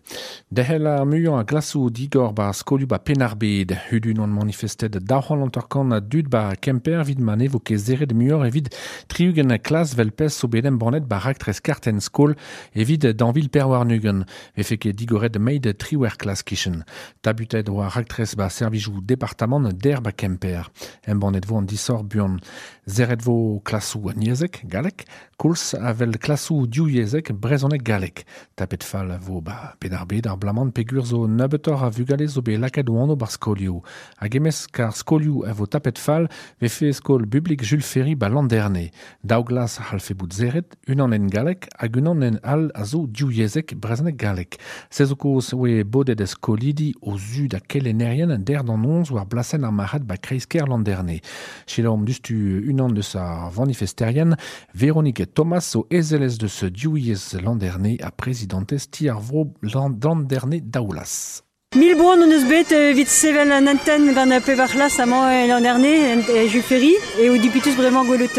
[SPEAKER 8] Dehel ar muiañ a glasoù digor ba skolioù ba Penn-ar-Bed. Hudun on manifestet daou c'hant a dud ba Kemper vid ma ne vo ket zeret muioc'h evit tri-ugent klas vel pezh zo bet embannet ba raktres kartenn skol evit danvil perwarnugen. Vefe ket digoret meid triwer klas kichen. Tabutet oa raktres ba servijoù departamant der ba Kemper. Embannet vo an disor buan. Zeret vo klasoù niezek, galek, koulz avel klasoù div-yezhek brezhoneg galek. Tapet fall vo ba Penn-ar-Bed ar blamant pegur zo nebeutoc'h a vugale zo bet lakaet o anv bar skolioù. Hag emez kar skolioù a vo tapet fall vefe skol publik Jules Ferry ba Landerne. Daou glas a c'hallfe bout zeret, unan en galek hag unan en all a zo div-yezhek brezhoneg galek. Se zo kaoz oe bodet e skolidi o zu da kelennerien der d'an onz war blasenn ar marc'had ba kreiz-kêr Landerne. Selaomp dustu unan deus ar vanifesterien, Véronique Thomas zo ezelez deus div-yezh Landerne a prezidantez ti ar vro Landerne Daoulas.
[SPEAKER 9] Mil boan on eus bet evit sevel an antenn gant pevar c'hlas amañ Landerne e Jules Ferry e o dipitus bremañ gwelout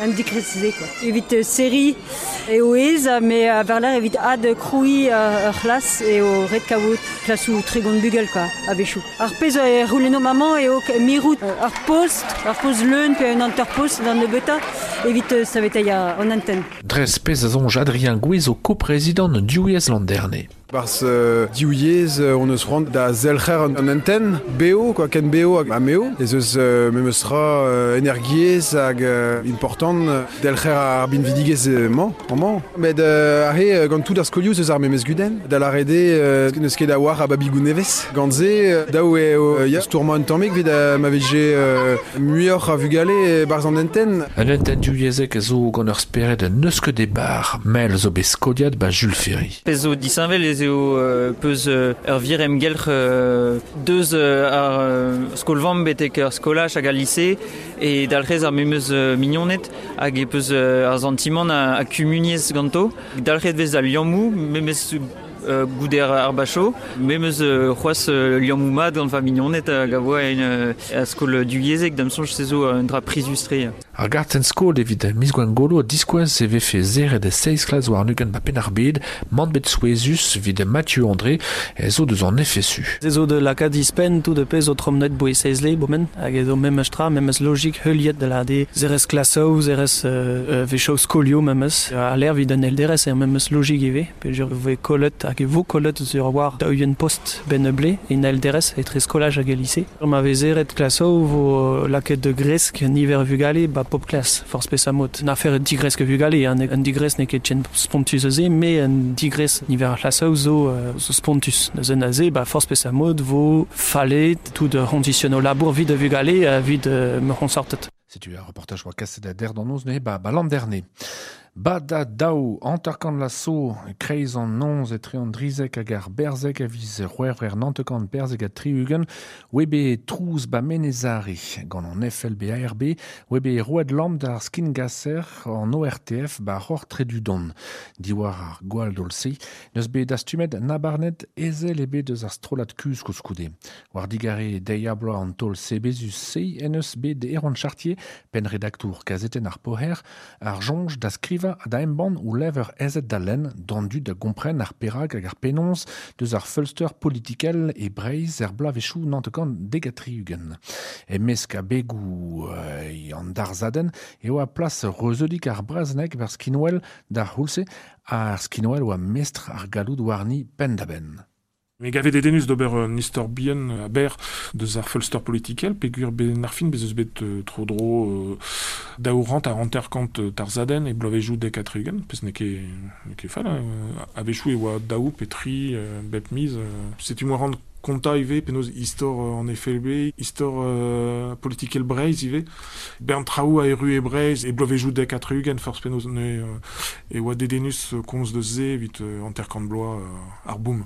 [SPEAKER 9] an dikresize quoi. Evit seri e o ez, me a varler evit ad kroui ur c'hlas e o ret kavout klasoù tregont bugel quoi, a bechou. Ar pezh e roulenno maman e o mirout ar post, ar post leun pe un anterpost d'an nebeutañ evit saveteiñ an antenn.
[SPEAKER 8] Dres pezh a soñj Adrien Gouez o ko-prezidant div-yezh Landerne.
[SPEAKER 10] Barz euh, div-yezh on eus c'hoant da zelc'her an antenn B O, quoi, ken B O hag ameo. Ez eus euh, memes tra euh, energiezh hag euh, important delc'her ar binvidigezh mañ, amañ. Met euh, arre gant tout ar skolioù eus ar memes gudenn. Da lâret eo euh, n'eus ket a war a babigoù nevez. Gant se, daou eo euh, ya stourmañ un tammig evit euh, ma vije euh, muioc'h a vugale barzh an antenn.
[SPEAKER 8] Un antenn div-yezhek zo gant ur spered n'eus ket e bar. Mel zo bet skoliad ba Jules Ferry.
[SPEAKER 11] Pezh zo disheñvel ez eo euh, peus euh, ur vir emgelc'h euh, deus euh, ar euh, skol-vamm betek ur skolaj hag al lise e dalc'hez ar memes euh, mignoned hag e peus euh, ar santimant a, a kumuniezh ganto. Dalc'het vez al liammoù, memes euh, goude ar bacho, memes euh, c'hoazh euh, liammoù mat gant va mignoned hag a voa en euh, a skol divyezhek da'm soñj se zo un dra prizius-tre.
[SPEAKER 8] Ar gartenn skol evit miz Gwengolo diskouez e vefe zeret seizh klas war nugen ba Penn-ar-Bed, mant bet souezhus evit Mathieu André e zo deus an F S U.
[SPEAKER 12] Se zo de lakaat dispenn tout de pezh o tromnet boe seizh le bomen, hag ezo memes tra, memes logik heuliet de la de zerez klasoù, zerez euh, vechoù skolioù memes, a l'air vid an L D R S er memes logik ivez, peogwir voe kollet hag e vo kollet sur war daou post ben ble en L D R S etre skolaj hag e lycée. Ma vez zeret klasoù vo lakaet de gresk niver vugale ba ba pop klas, forz pesa mod. Na fer un digrez ke vugale, un, un digrez n'eo ket chen spontus eus e, me un digrez niver ar c'hlasoù zo, euh, zo spontus. Neuze neuze, ba forz pesa mod vo fallet tout de conditionno labour vid de vugale vid euh, me c'honsortet.
[SPEAKER 8] Setu ar reportaj oa kaset a der d'an noz neuze ba, ba l'an dernier. Ba da daou, hanterkant la so, kreiz an nonz e tre an drizek hag ar berzek a viz c'hwec'hver nantekant berzek a tri-ugent, webe trouz ba menezari, gant an F L B A R B, webe roed lamp d'ar skingasser an O R T F ba ror tredudon. Diwar ar gwall dolse, neus bet dastumet nabarnet ezel ebe deus ar strollad kuz koulskoude. War digare deiz bloaz an taol sebezus se en eus bet Erwan Chartier, penn redaktour kazetenn ar poher, ar soñj da skrivañ da embann ou lever ezet da lenn d'an dud da gompren ar perag hag ar penons deus ar feulster politikel e Breizh er bloavezhioù nantekant dek ha tri-ugent. E mesk a begoù euh, an darzadenn eo a plas reuzeudik ar brezhoneg bar skinwel d'ar c'houlz-se ar skinwel oa mestr ar galloud warni penn-da-benn.
[SPEAKER 13] Me gavet dedennus d'ober un istor bihan a ber deus ar feulster politikel, peogwir ben ar fin bez eus bet euh, tro dro euh, daourant ar hanterkant tarzadenn e bloavezhioù dek ha tri-ugent, pezh n'eo ket, n'eo ket fall, hein. A-wechoù e oa daou pe tri euh, bep miz. Euh, setu moa rand konta ivez penaos istor euh, an F L B, istor euh, politikel Breizh ivez. Bern traoù a erru e Breizh e bloavezhioù dek ha tri-ugent forzh penaos ne euh, e oa dedennus komz deus se evit euh, hanterkant bloaz euh, ar boom.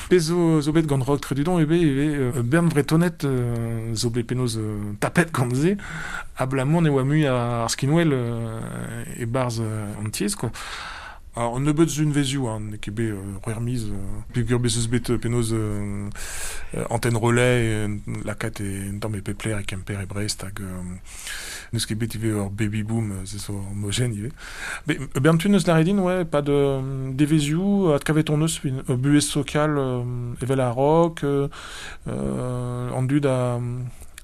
[SPEAKER 13] Pezh zo, zo bet gant Rok Tredudon ebe ivez euh, bern vretonet euh, zo bet penaos euh, tapet gant se abalamour ne oa mui ar skinwel euh, e barzh euh, an tiez quoi. Alors, nebeut zun vezioù, hein, n'eo ket bet euh, c'hwec'h miz, euh, peogwir bez eus bet penaos euh, antenne relais, euh, lakaat e un tamm e Pepler, e Kemper, e Brest, hag euh, n'eus ket bet ivez ur baby boom, se zo ur mojenn ivez. Be, bern tu neus lâret din, ouais, pas de devezioù, adkavet on eus, euh, buhez sokal euh, evel ar rock, euh, euh, an dud a...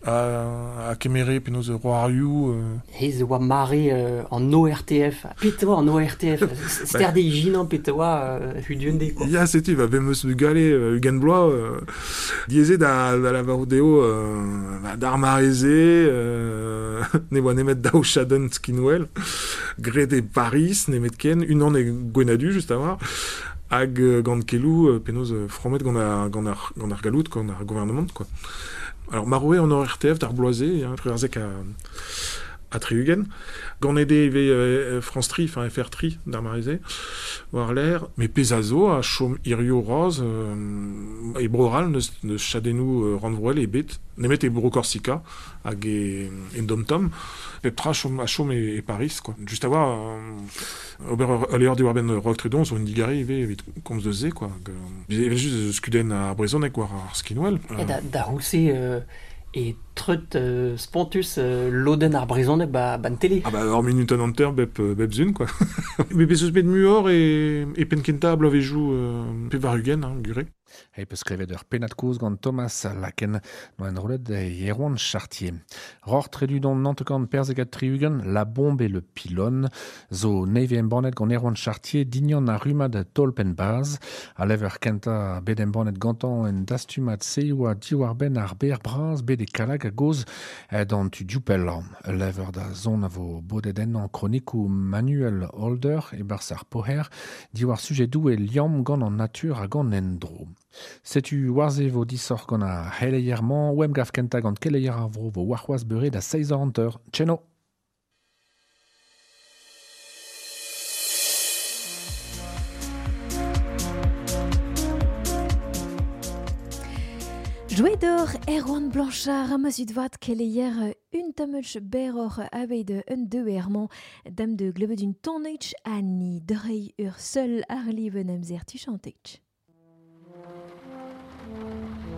[SPEAKER 13] a, a kemere penaos roarioù euh...
[SPEAKER 14] Hez e oa mare euh, an O R T F. Pet oa an O R T F. Ster de ijinan pet oa euh, huduende quoi.
[SPEAKER 13] Ya, setu, va bemeus bugale euh, ugent bloaz euh, dieze da, da lavarout dezho euh, ba, d'ar mareze euh, ne oa nemet daou chadenn skinwel graet e Paris nemet ken unan e Gwenadu just a-walc'h hag euh, gant keloù euh, penaos euh, fromet gant ar, gant ar, gant ar galloud, gant ar gouarnamant quoi. Alors, maroe an O R T F d'ar bloaze, hein, truarzek a, a tri-ugent. Gant ede ivez euh, France Tri, enfin F R Tri d'ar mareze, war l'air, mais pezh a zo a chom hirio roz euh, e bro-Ral neus, neus chadennoù euh, rannvroel e bet, nemet e bro Korsika hag e, e dom-tom, pep tra chom, a chom e, e Paris, quoi. Just a oa, euh, ober ur levr diwar-benn Rok Trudon zo un digare ivez evit komz deus se, quoi. Hag, euh, evel just eus kudenn ar brezhoneg war ar skinwel.
[SPEAKER 14] E da, da c'houlz-se euh, e treut euh, spontus euh, lodenn ar brezhoneg ba, ban tele.
[SPEAKER 13] Ah bah ur minut an hanter bep, bep zun, quoi. Met bez eus bet muioc'h e, e penn kentañ bloavezhioù euh, pevar ugent, hein, gure.
[SPEAKER 8] Hei peus klevet ur pennad-kozh gant Thomas Laken no enrollet Erwan Chartier. Ror tredudon nantekant perzek ha tri-ugent, La Bombe et le Pylône, zo neve embannet gant Erwan Chartier dignan ar rummad tolpen baz, a lever kenta bet embannet gantañ en dastumat se oa diwar ben ar ber braz bet e kalag a goz d'an tu dioupel. Lever da zon a vo bodet ennañ kronikoù Manuel Holder e barzh ar poher diwar sujedou e liamm gant an natur hag an endro. Setu warze vo disoc'h gant ar c'heleier-mañ, oem gav kentañ gant keleier ar vro vo warc'hoazh beure da seizh eur hanter. Tcheno!
[SPEAKER 2] Jouet d'or Erwan Blanchard a ma zud vat keleier un tammech berroc'h aveit un deux ermañ dam de glebet un tonneich ani drei ur seul ar liven amzer tuchantech.
[SPEAKER 15] Thank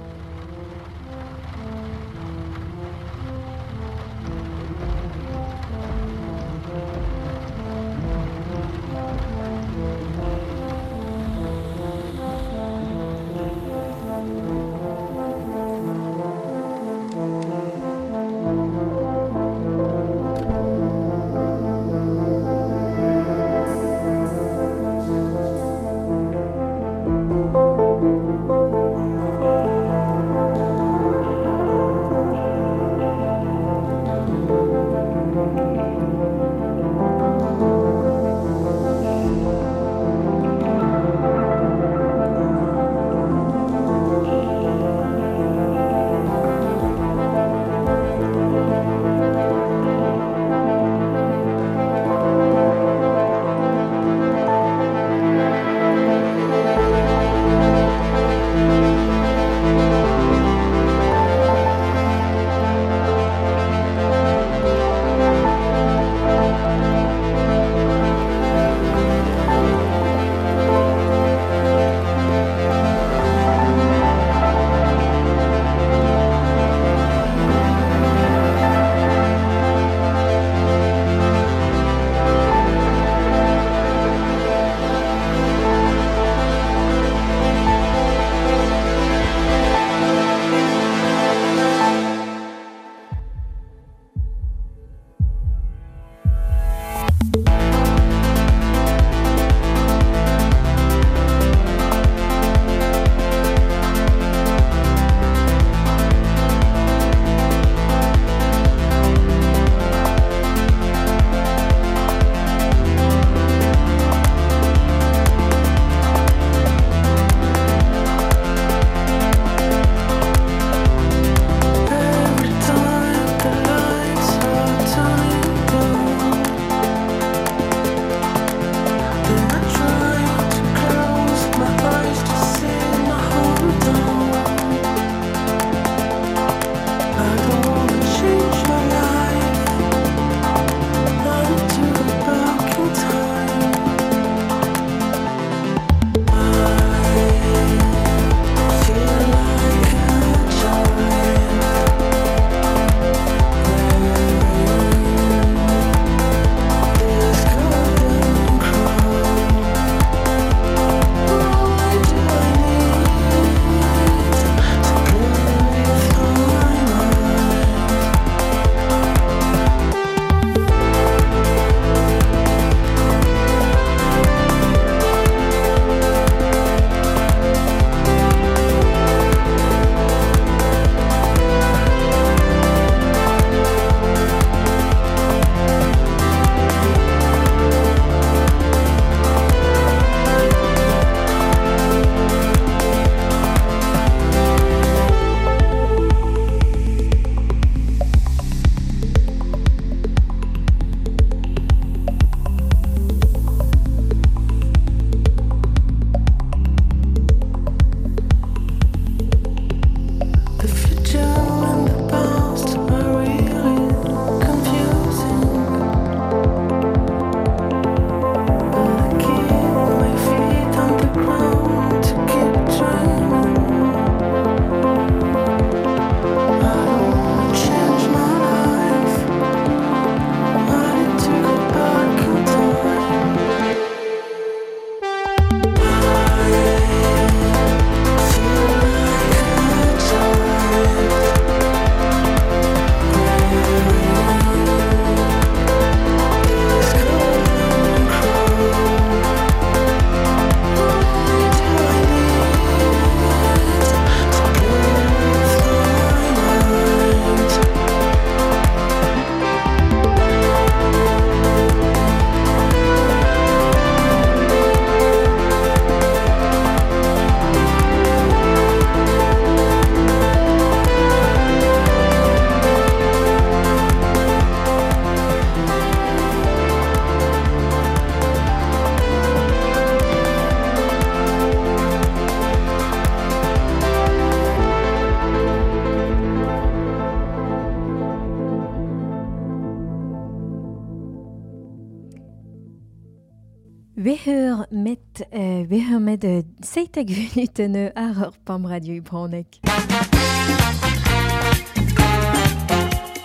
[SPEAKER 2] Weheur met, euh, weheur met euh, seitek vunuten euh, ar ur pam radio ibronek.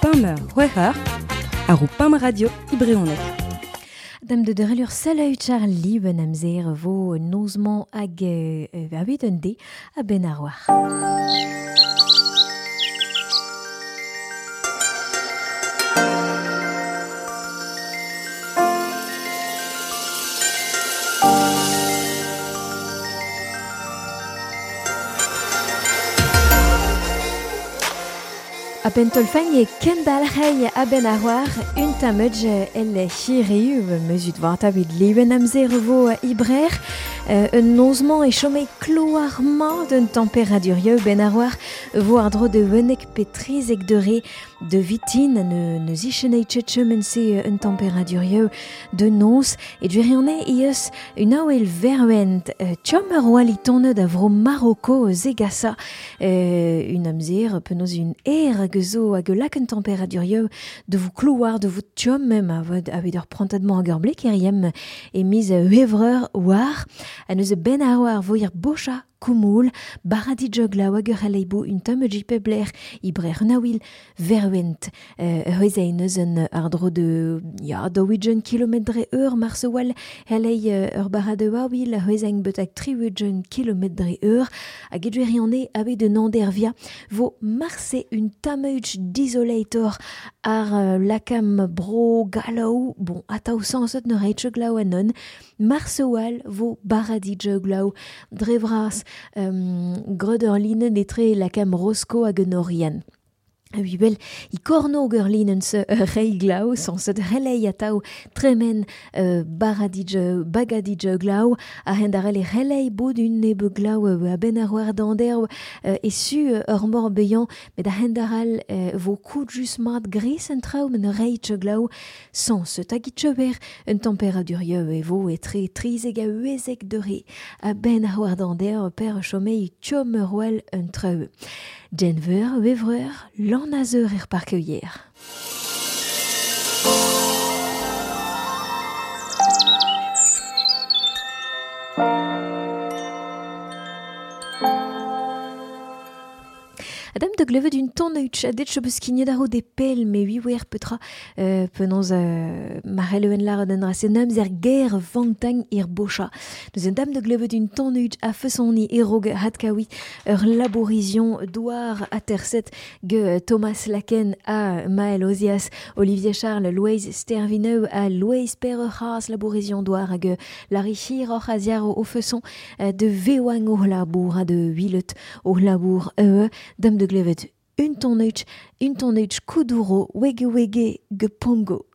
[SPEAKER 1] Pam weheur ar ur pam radio ibronek.
[SPEAKER 2] Dam de derelur selaut ar liben amzer vo nozman hag euh, a un de a ben ar war. A ben tolfagn e kendalc'hei a ben ar war un tamedj el hiriu meuzut war tabit leven amzer vo ibrer euh, un nozman e chome kloarma d'un tempéradurieu ben ar war vo ar dro de wenek petrizek de re de vitin ne, ne zichenei tchetchemen se un tempéradurieu de noz e durione eus un aoel verwent euh, tchom ur oa litone da vro Maroko zegasa euh, un amzer penaos un er hag zo hag lak un tempéradurieu de vous clouar de vous tchom mem a vod a ur prantadement hag ur blek eriem e miz huevreur war a neuze ben ar war vo ir bocha koumoul baradi jogla hag ur aleibo un tamm pebler ibrer nawil verwent euh, neuze un ar dro de ya daouigen kilometre eur marsewal helei ur barade wawil hwezeng betak triwugen kilometre eur hag edweriane abe de nandervia vo marse un tameuch disolator ar uh, lakam bro galaou bon ataou sansot ne reitche glaou anon marsewal vo baradi joglaou drevras um, greuderline etre lakam Rosco hag Norian. A bel i korno gerlinen se reiglau sans relei atao tremen euh, baradij bagadij glau a hendarel e relei bod un nebe glau a ben ar war d'ander euh, e su ur mor beyan met a hendaral euh, vo kout just mat gris en trao men reitche glau sans tagit cheber un tempéradurieu e vo etre trizeg a uezek de re a ben ar war d'ander per chomei tchom roel un treu. Denver, Wevreur, l'an azeur er parkeuier. Adam de glevet d'un ton a det beus kinnet ar de pel me ui wer petra euh, penaos euh, marel lar den ra se namz er ger vantang ir bocha. Deus un dam de glevet d'un ton a fesoni erog hatkawi ur laborizion douar aterset ge Thomas Laken a Maël Ozias, Olivier Charles, Louise Stervineu a Louise Perre Haas laborizion douar hag Larry Hir oc'h aziar o feson de vewang o labour a de huilet o labour e dam de glevet un ton un ton kuduro wege wege gepongo.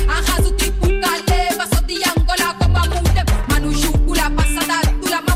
[SPEAKER 7] Arraso tipo Caleba, sou de Angola como a Mudem. Mano, Jucula, passada, tula.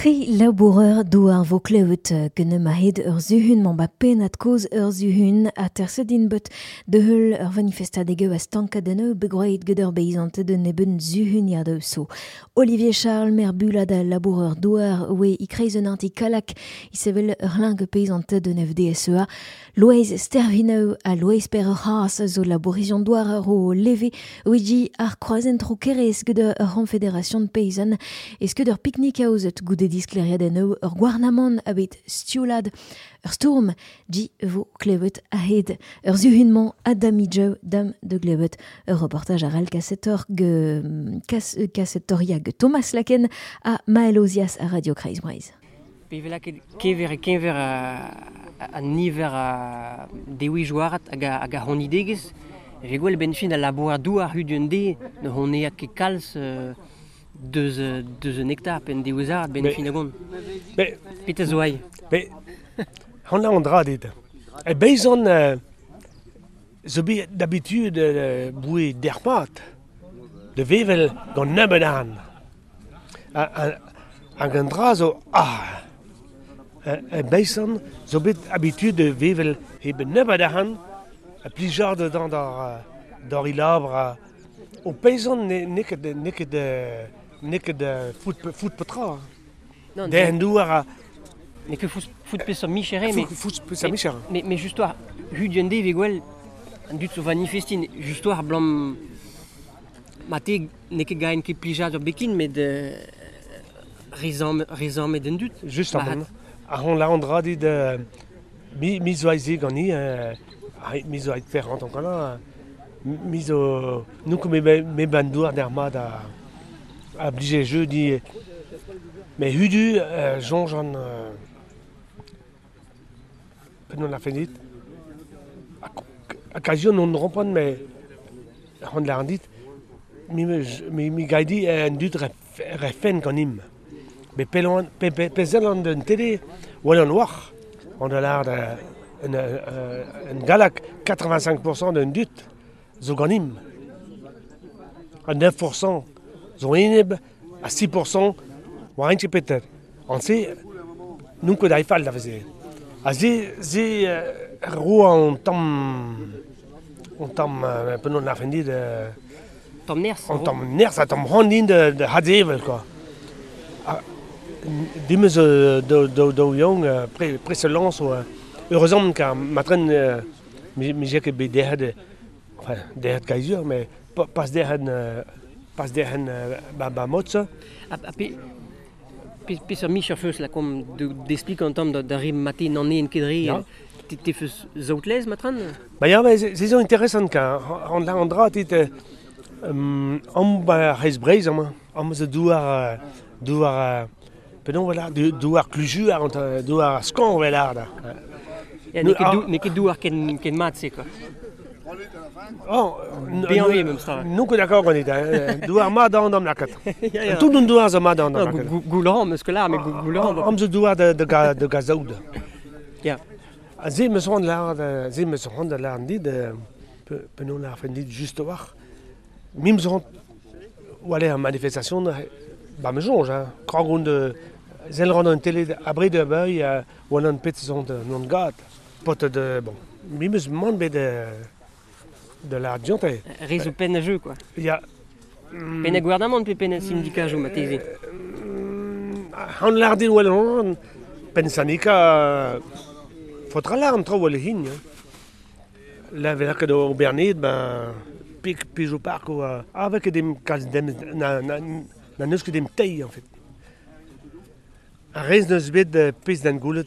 [SPEAKER 2] Tri laboureur douar vo klevet gant ma hed ur zuhun man ba pennad koz ur zuhun a tersedin bet de heul ur manifestadege a stankadeneu begroet gant ur beizante de neben zuhun ya de so. Olivier Charles mer bulad a laboureur douar oe i kreiz un anti kalak i sevel ur lingue peizante de F D S E A. Loeiz Stervineu a Loeiz per ur haas zo labourizion douar ur o leve oegi ar kroazen tro kerez gant ur confédération de paysan eus ket ur pique-nique aozet goude diskleriad eo ur gouarnamant abet stioulad ur stourm di vo klevet ahed ur zuhunman adamidjeu dam de glevet ur reportage ar al kasetor ge kas, kasetoria ge Thomas Laken a Maël Ozias a Radio Kreiz Breizh.
[SPEAKER 14] Pe ket kever e kenver a, a niver a dewi joarat hag a, hag a honidegez e gwell ben fin a labour douar hud un de ne honea ket kalz euh, deus deus un hectare pen deuzar ben fin a gont.
[SPEAKER 15] Mais
[SPEAKER 14] Peter zoai.
[SPEAKER 15] Mais on a an dra dit. E beizon euh, zo bet d'habitude euh, boue dermat de vevel gant nebeut an. Hag an dra zo ah e beizon zo bet habitude de vevel heb nebeut an a plijar de dan d'ar d'ar ilabr o peizon ne ne ket ne ket ne ket foot foot petra. Den douar a
[SPEAKER 14] ne ket foot foot peseurt michere mais
[SPEAKER 15] foot peseurt michere.
[SPEAKER 14] Mais mais juste war hud un de vegwel an dud zo manifestin just war blam mate ne ket gaen ket plijar ur bekin met rezam rezam met den dud.
[SPEAKER 15] Just am a hon la andra dit mi mi zo aize gani mi zo ait fer an kana mi zo nou me me bandouar der mat a a blije jeu di mais hudu euh, jonge an euh, penon la fenit occasion on rompon mais on l'a dit mi mi mi gaidi un dud refen ganim mais pelon pe pezelan d'un télé ou an war on a l'air un un galak quatre-vingt-cinq pour cent d'un dud zo ganim a neuf pour cent zo eneb a six pour cent war enche peter an se nun ket aifal da veze a ze ze ro an tamm an tamm penon la fendi de
[SPEAKER 14] tamm nerz
[SPEAKER 15] an tamm nerz a tamm randin de de hadevel quoi dimez do do do young pre pre se lance heureusement car matren mi mi ket bet derc'het enfin derc'het kaizur mais pas derc'het pas derc'het ba ba motza
[SPEAKER 14] a pe pe sur micher feus la kom d'explique en tamm da rim matin an en kedri te feus zaoutlez matren
[SPEAKER 15] ba ya mais c'est zo intéressant car an la andra tit am ba reiz breiz am am zo douar douar penon voilà douar kluju ar douar skan voilà da
[SPEAKER 14] ya n'eo ket n'eo ket douar ken ken mat se quoi.
[SPEAKER 15] Oh,
[SPEAKER 14] bien oui même ça.
[SPEAKER 15] Nous que d'accord on est douar mat an am lakat. Tout un douar zo mat an am lakat.
[SPEAKER 14] Goulan meus ket lar mais goulan.
[SPEAKER 15] Am zo douar de de de gazoud.
[SPEAKER 14] Ya.
[SPEAKER 15] A ze meus c'hoant lar ze meus c'hoant lar dit penon la fin dit juste war. Mim zo ou aller en manifestation ba me jonge hein. Krag de zel rand an télé abri de beuil ou an pet zon de non gat. Pot de bon. Mim eus mont bet de de la dionte.
[SPEAKER 14] Rezo pen a jeu quoi.
[SPEAKER 15] Ya
[SPEAKER 14] pen a gouarnamant pe pen a syndicat jo mateze.
[SPEAKER 15] Han lardin wel on pen syndicat faudra l'arm tro wel hin. La vela ket o Bernid ben pik pijo park o avec dem kalz dem na na na neus ket dem tei en fait. A rez neus bet pez d'an goulet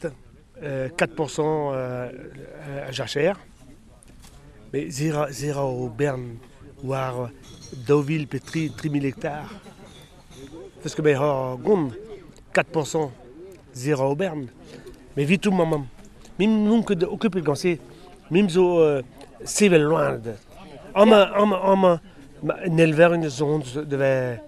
[SPEAKER 15] quatre pour cent a jachère. Mais zera zera o Bern war daouvil pe tri tri mil hectares. Parce que ben ha gond quatre pour cent zera o Bern. Mais vite tout maman. Mim non ket occupé gant se mim zo sevel loin. Am am am nelver une zone devait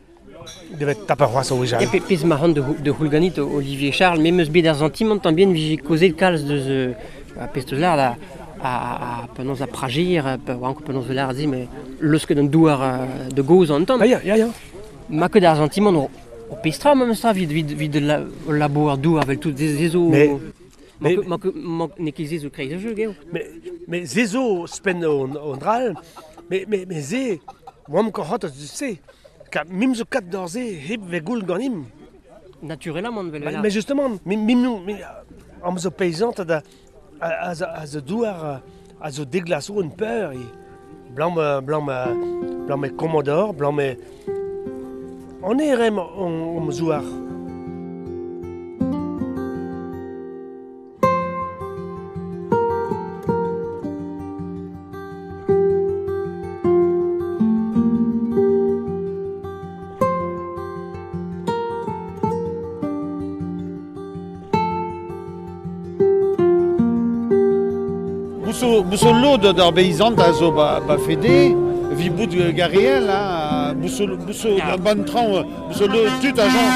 [SPEAKER 15] devait taper roi so
[SPEAKER 14] ja. E pez ma de de houlganit Olivier Charles me meus bet ar sentiment tan bien vije kozet kalz deus a pez deus lar da a a penaos a pragir pe oa penaos lar zi mais leus ket an douar de goz an tamm.
[SPEAKER 15] Ya ya ya.
[SPEAKER 14] Ma ket ar sentiment O pestra memes tra vid vid vid la labour dou avel tout zezo.
[SPEAKER 15] Mais
[SPEAKER 14] mais manque manque ne ket zezo kreiz jeu geo.
[SPEAKER 15] Mais mais zezo spen on on dral mais mais mais ze oamp ket c'hoant se ka mim zo kat d'or ze hep ve goul ganim.
[SPEAKER 14] Naturellement vel
[SPEAKER 15] mais justement mim mim am zo paysant da a a zo douar a zo déglaso un peur e blanc blanc blanc me commodore blanc me on est rem on on zouar.
[SPEAKER 16] Bousso lod d'ar beizant a zo ba, ba fede, vi bout gariel, hein, bousso, bousso yeah. Ban tran, bousso lod tut a jan.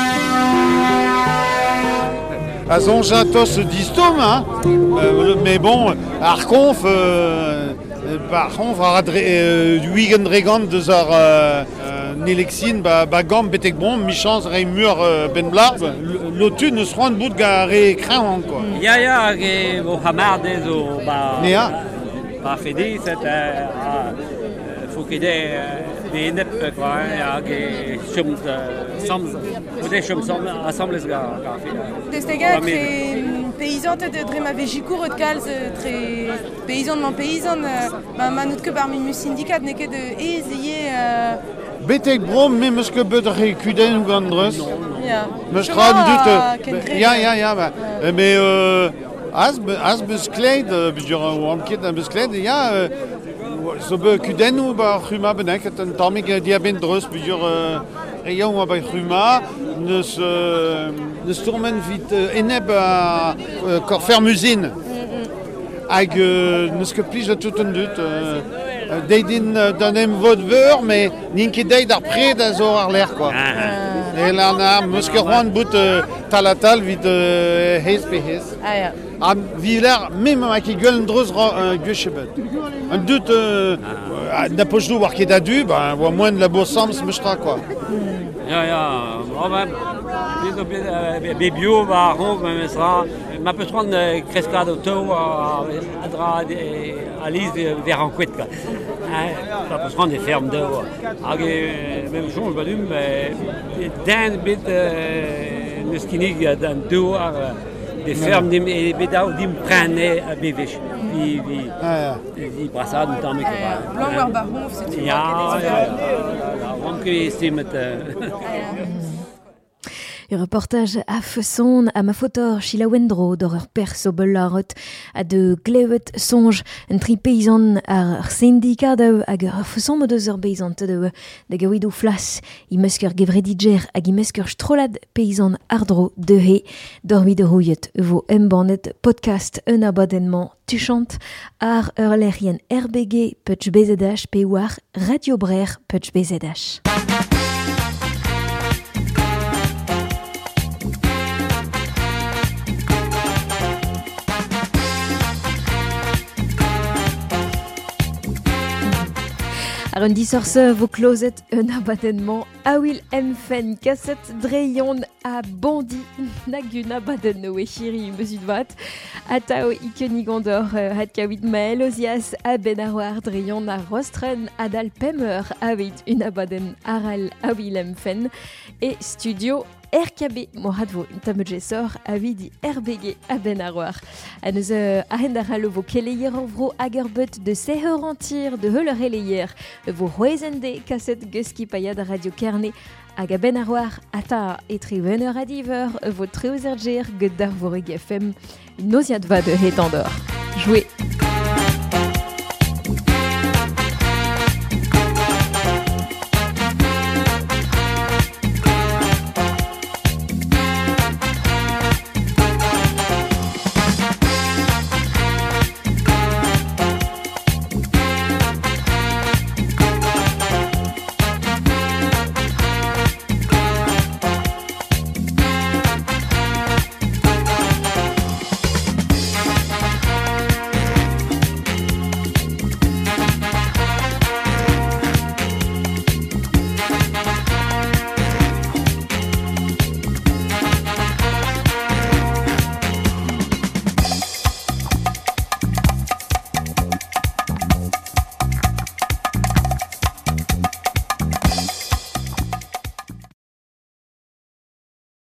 [SPEAKER 16] A zonj tos distom, hein, euh, mais bon, ar konf, euh, par konf ar adre, euh, wigen dregant deus ar euh, nelexin, ba, ba gam betek bon, michans re mur euh, ben blar, lotu neus c'hoant bout gare kreñv, quoi.
[SPEAKER 17] Ya, ya, hag e vo hamar dezo, ba...
[SPEAKER 16] Nea.
[SPEAKER 17] Ba fede, set, euh, faut ket de enep, quoi, hein, hag e chom samz, ode chom samz, assemblez ga, ga fede.
[SPEAKER 18] Destega tre paysan de dre ma vejikour et kalz tre paysan man paysan, ba ma nout ket bar mimu syndikat ne ket ez eo euh...
[SPEAKER 16] Betek bro, me meus ket bet re kudenn gant dreus.
[SPEAKER 18] Ya.
[SPEAKER 16] Meus tra dut. Ya, ya, ya, ba. Mais euh, az, az beus kleid, bujur oan ket beus kleid, ya, zo be kudenn ba c'huma bennak, un tammig diaben dreus, bujur reiañ oa ba c'huma, neus, neus tourmen vit eneb a korfermuzin. Hag neus ket plij a tout an dut. Deidin d'un em vod veur, mais n'int ket deit ar pred a zo ar l'air, quoi. E la na, meus ket c'hoant bout tal a tal vit hez pe hez.
[SPEAKER 18] Ah ya.
[SPEAKER 16] A vi l'air, mem a ket gwell dreus gwech ebet. An dut, na poch war ket a du, ba, oa moen labour samz meus tra, quoi.
[SPEAKER 17] Ya, ya, oh ben, be bio ba c'honv memes ra, ma peus c'hoant kreskad o teu a dra a liz ver an kouet, quoi. Ma peus c'hoant e ferm deu. Hag e mem soñj ba dum, den bet neus kinnig d'an deu ar de ferm dim e bet ao dim prenne a bevech. Vi, vi, vi brasad un tamm ket.
[SPEAKER 18] Blanc war ba c'honv, setu.
[SPEAKER 17] Ya, ya, ya, oan ket estimet.
[SPEAKER 2] Un reportage a feson a ma fotor Sheila Wendro d'or ur perso belarot a de glevet sonj un tri paysan ar syndikat hag ur feson mod eus ur paysan de da gawidou flas i mesker gevredidjer hag i mesker strolad paysan ardro de he dormi de rouillet vo embannet podcast un abadennement tuchant ar ur lerien R B G putch B Z H pe war Radio Brer putch B Z H. Ar un disorse vo klozet un abadennement a wil emfen kaset dreion a bondi nag un abadenno e chiri meusut vat atao ikenigandor hat kawit mael ozias a ben ar dreion a rostren adal pemeur aveit un abaden aral a wil emfen e studio R K B mohat vo un tamm jesor avidi R B G a ben ar war. A neus ahen ar vo keleier an vro hag ur beut de seheur antir de heul eleier vo c'hwezende kaset geski paiad Radio Kerne hag a ben ar war ata etre un eur a diver vo treuzer ger get d'ar voreg F M noziad va de het andor. Jouer.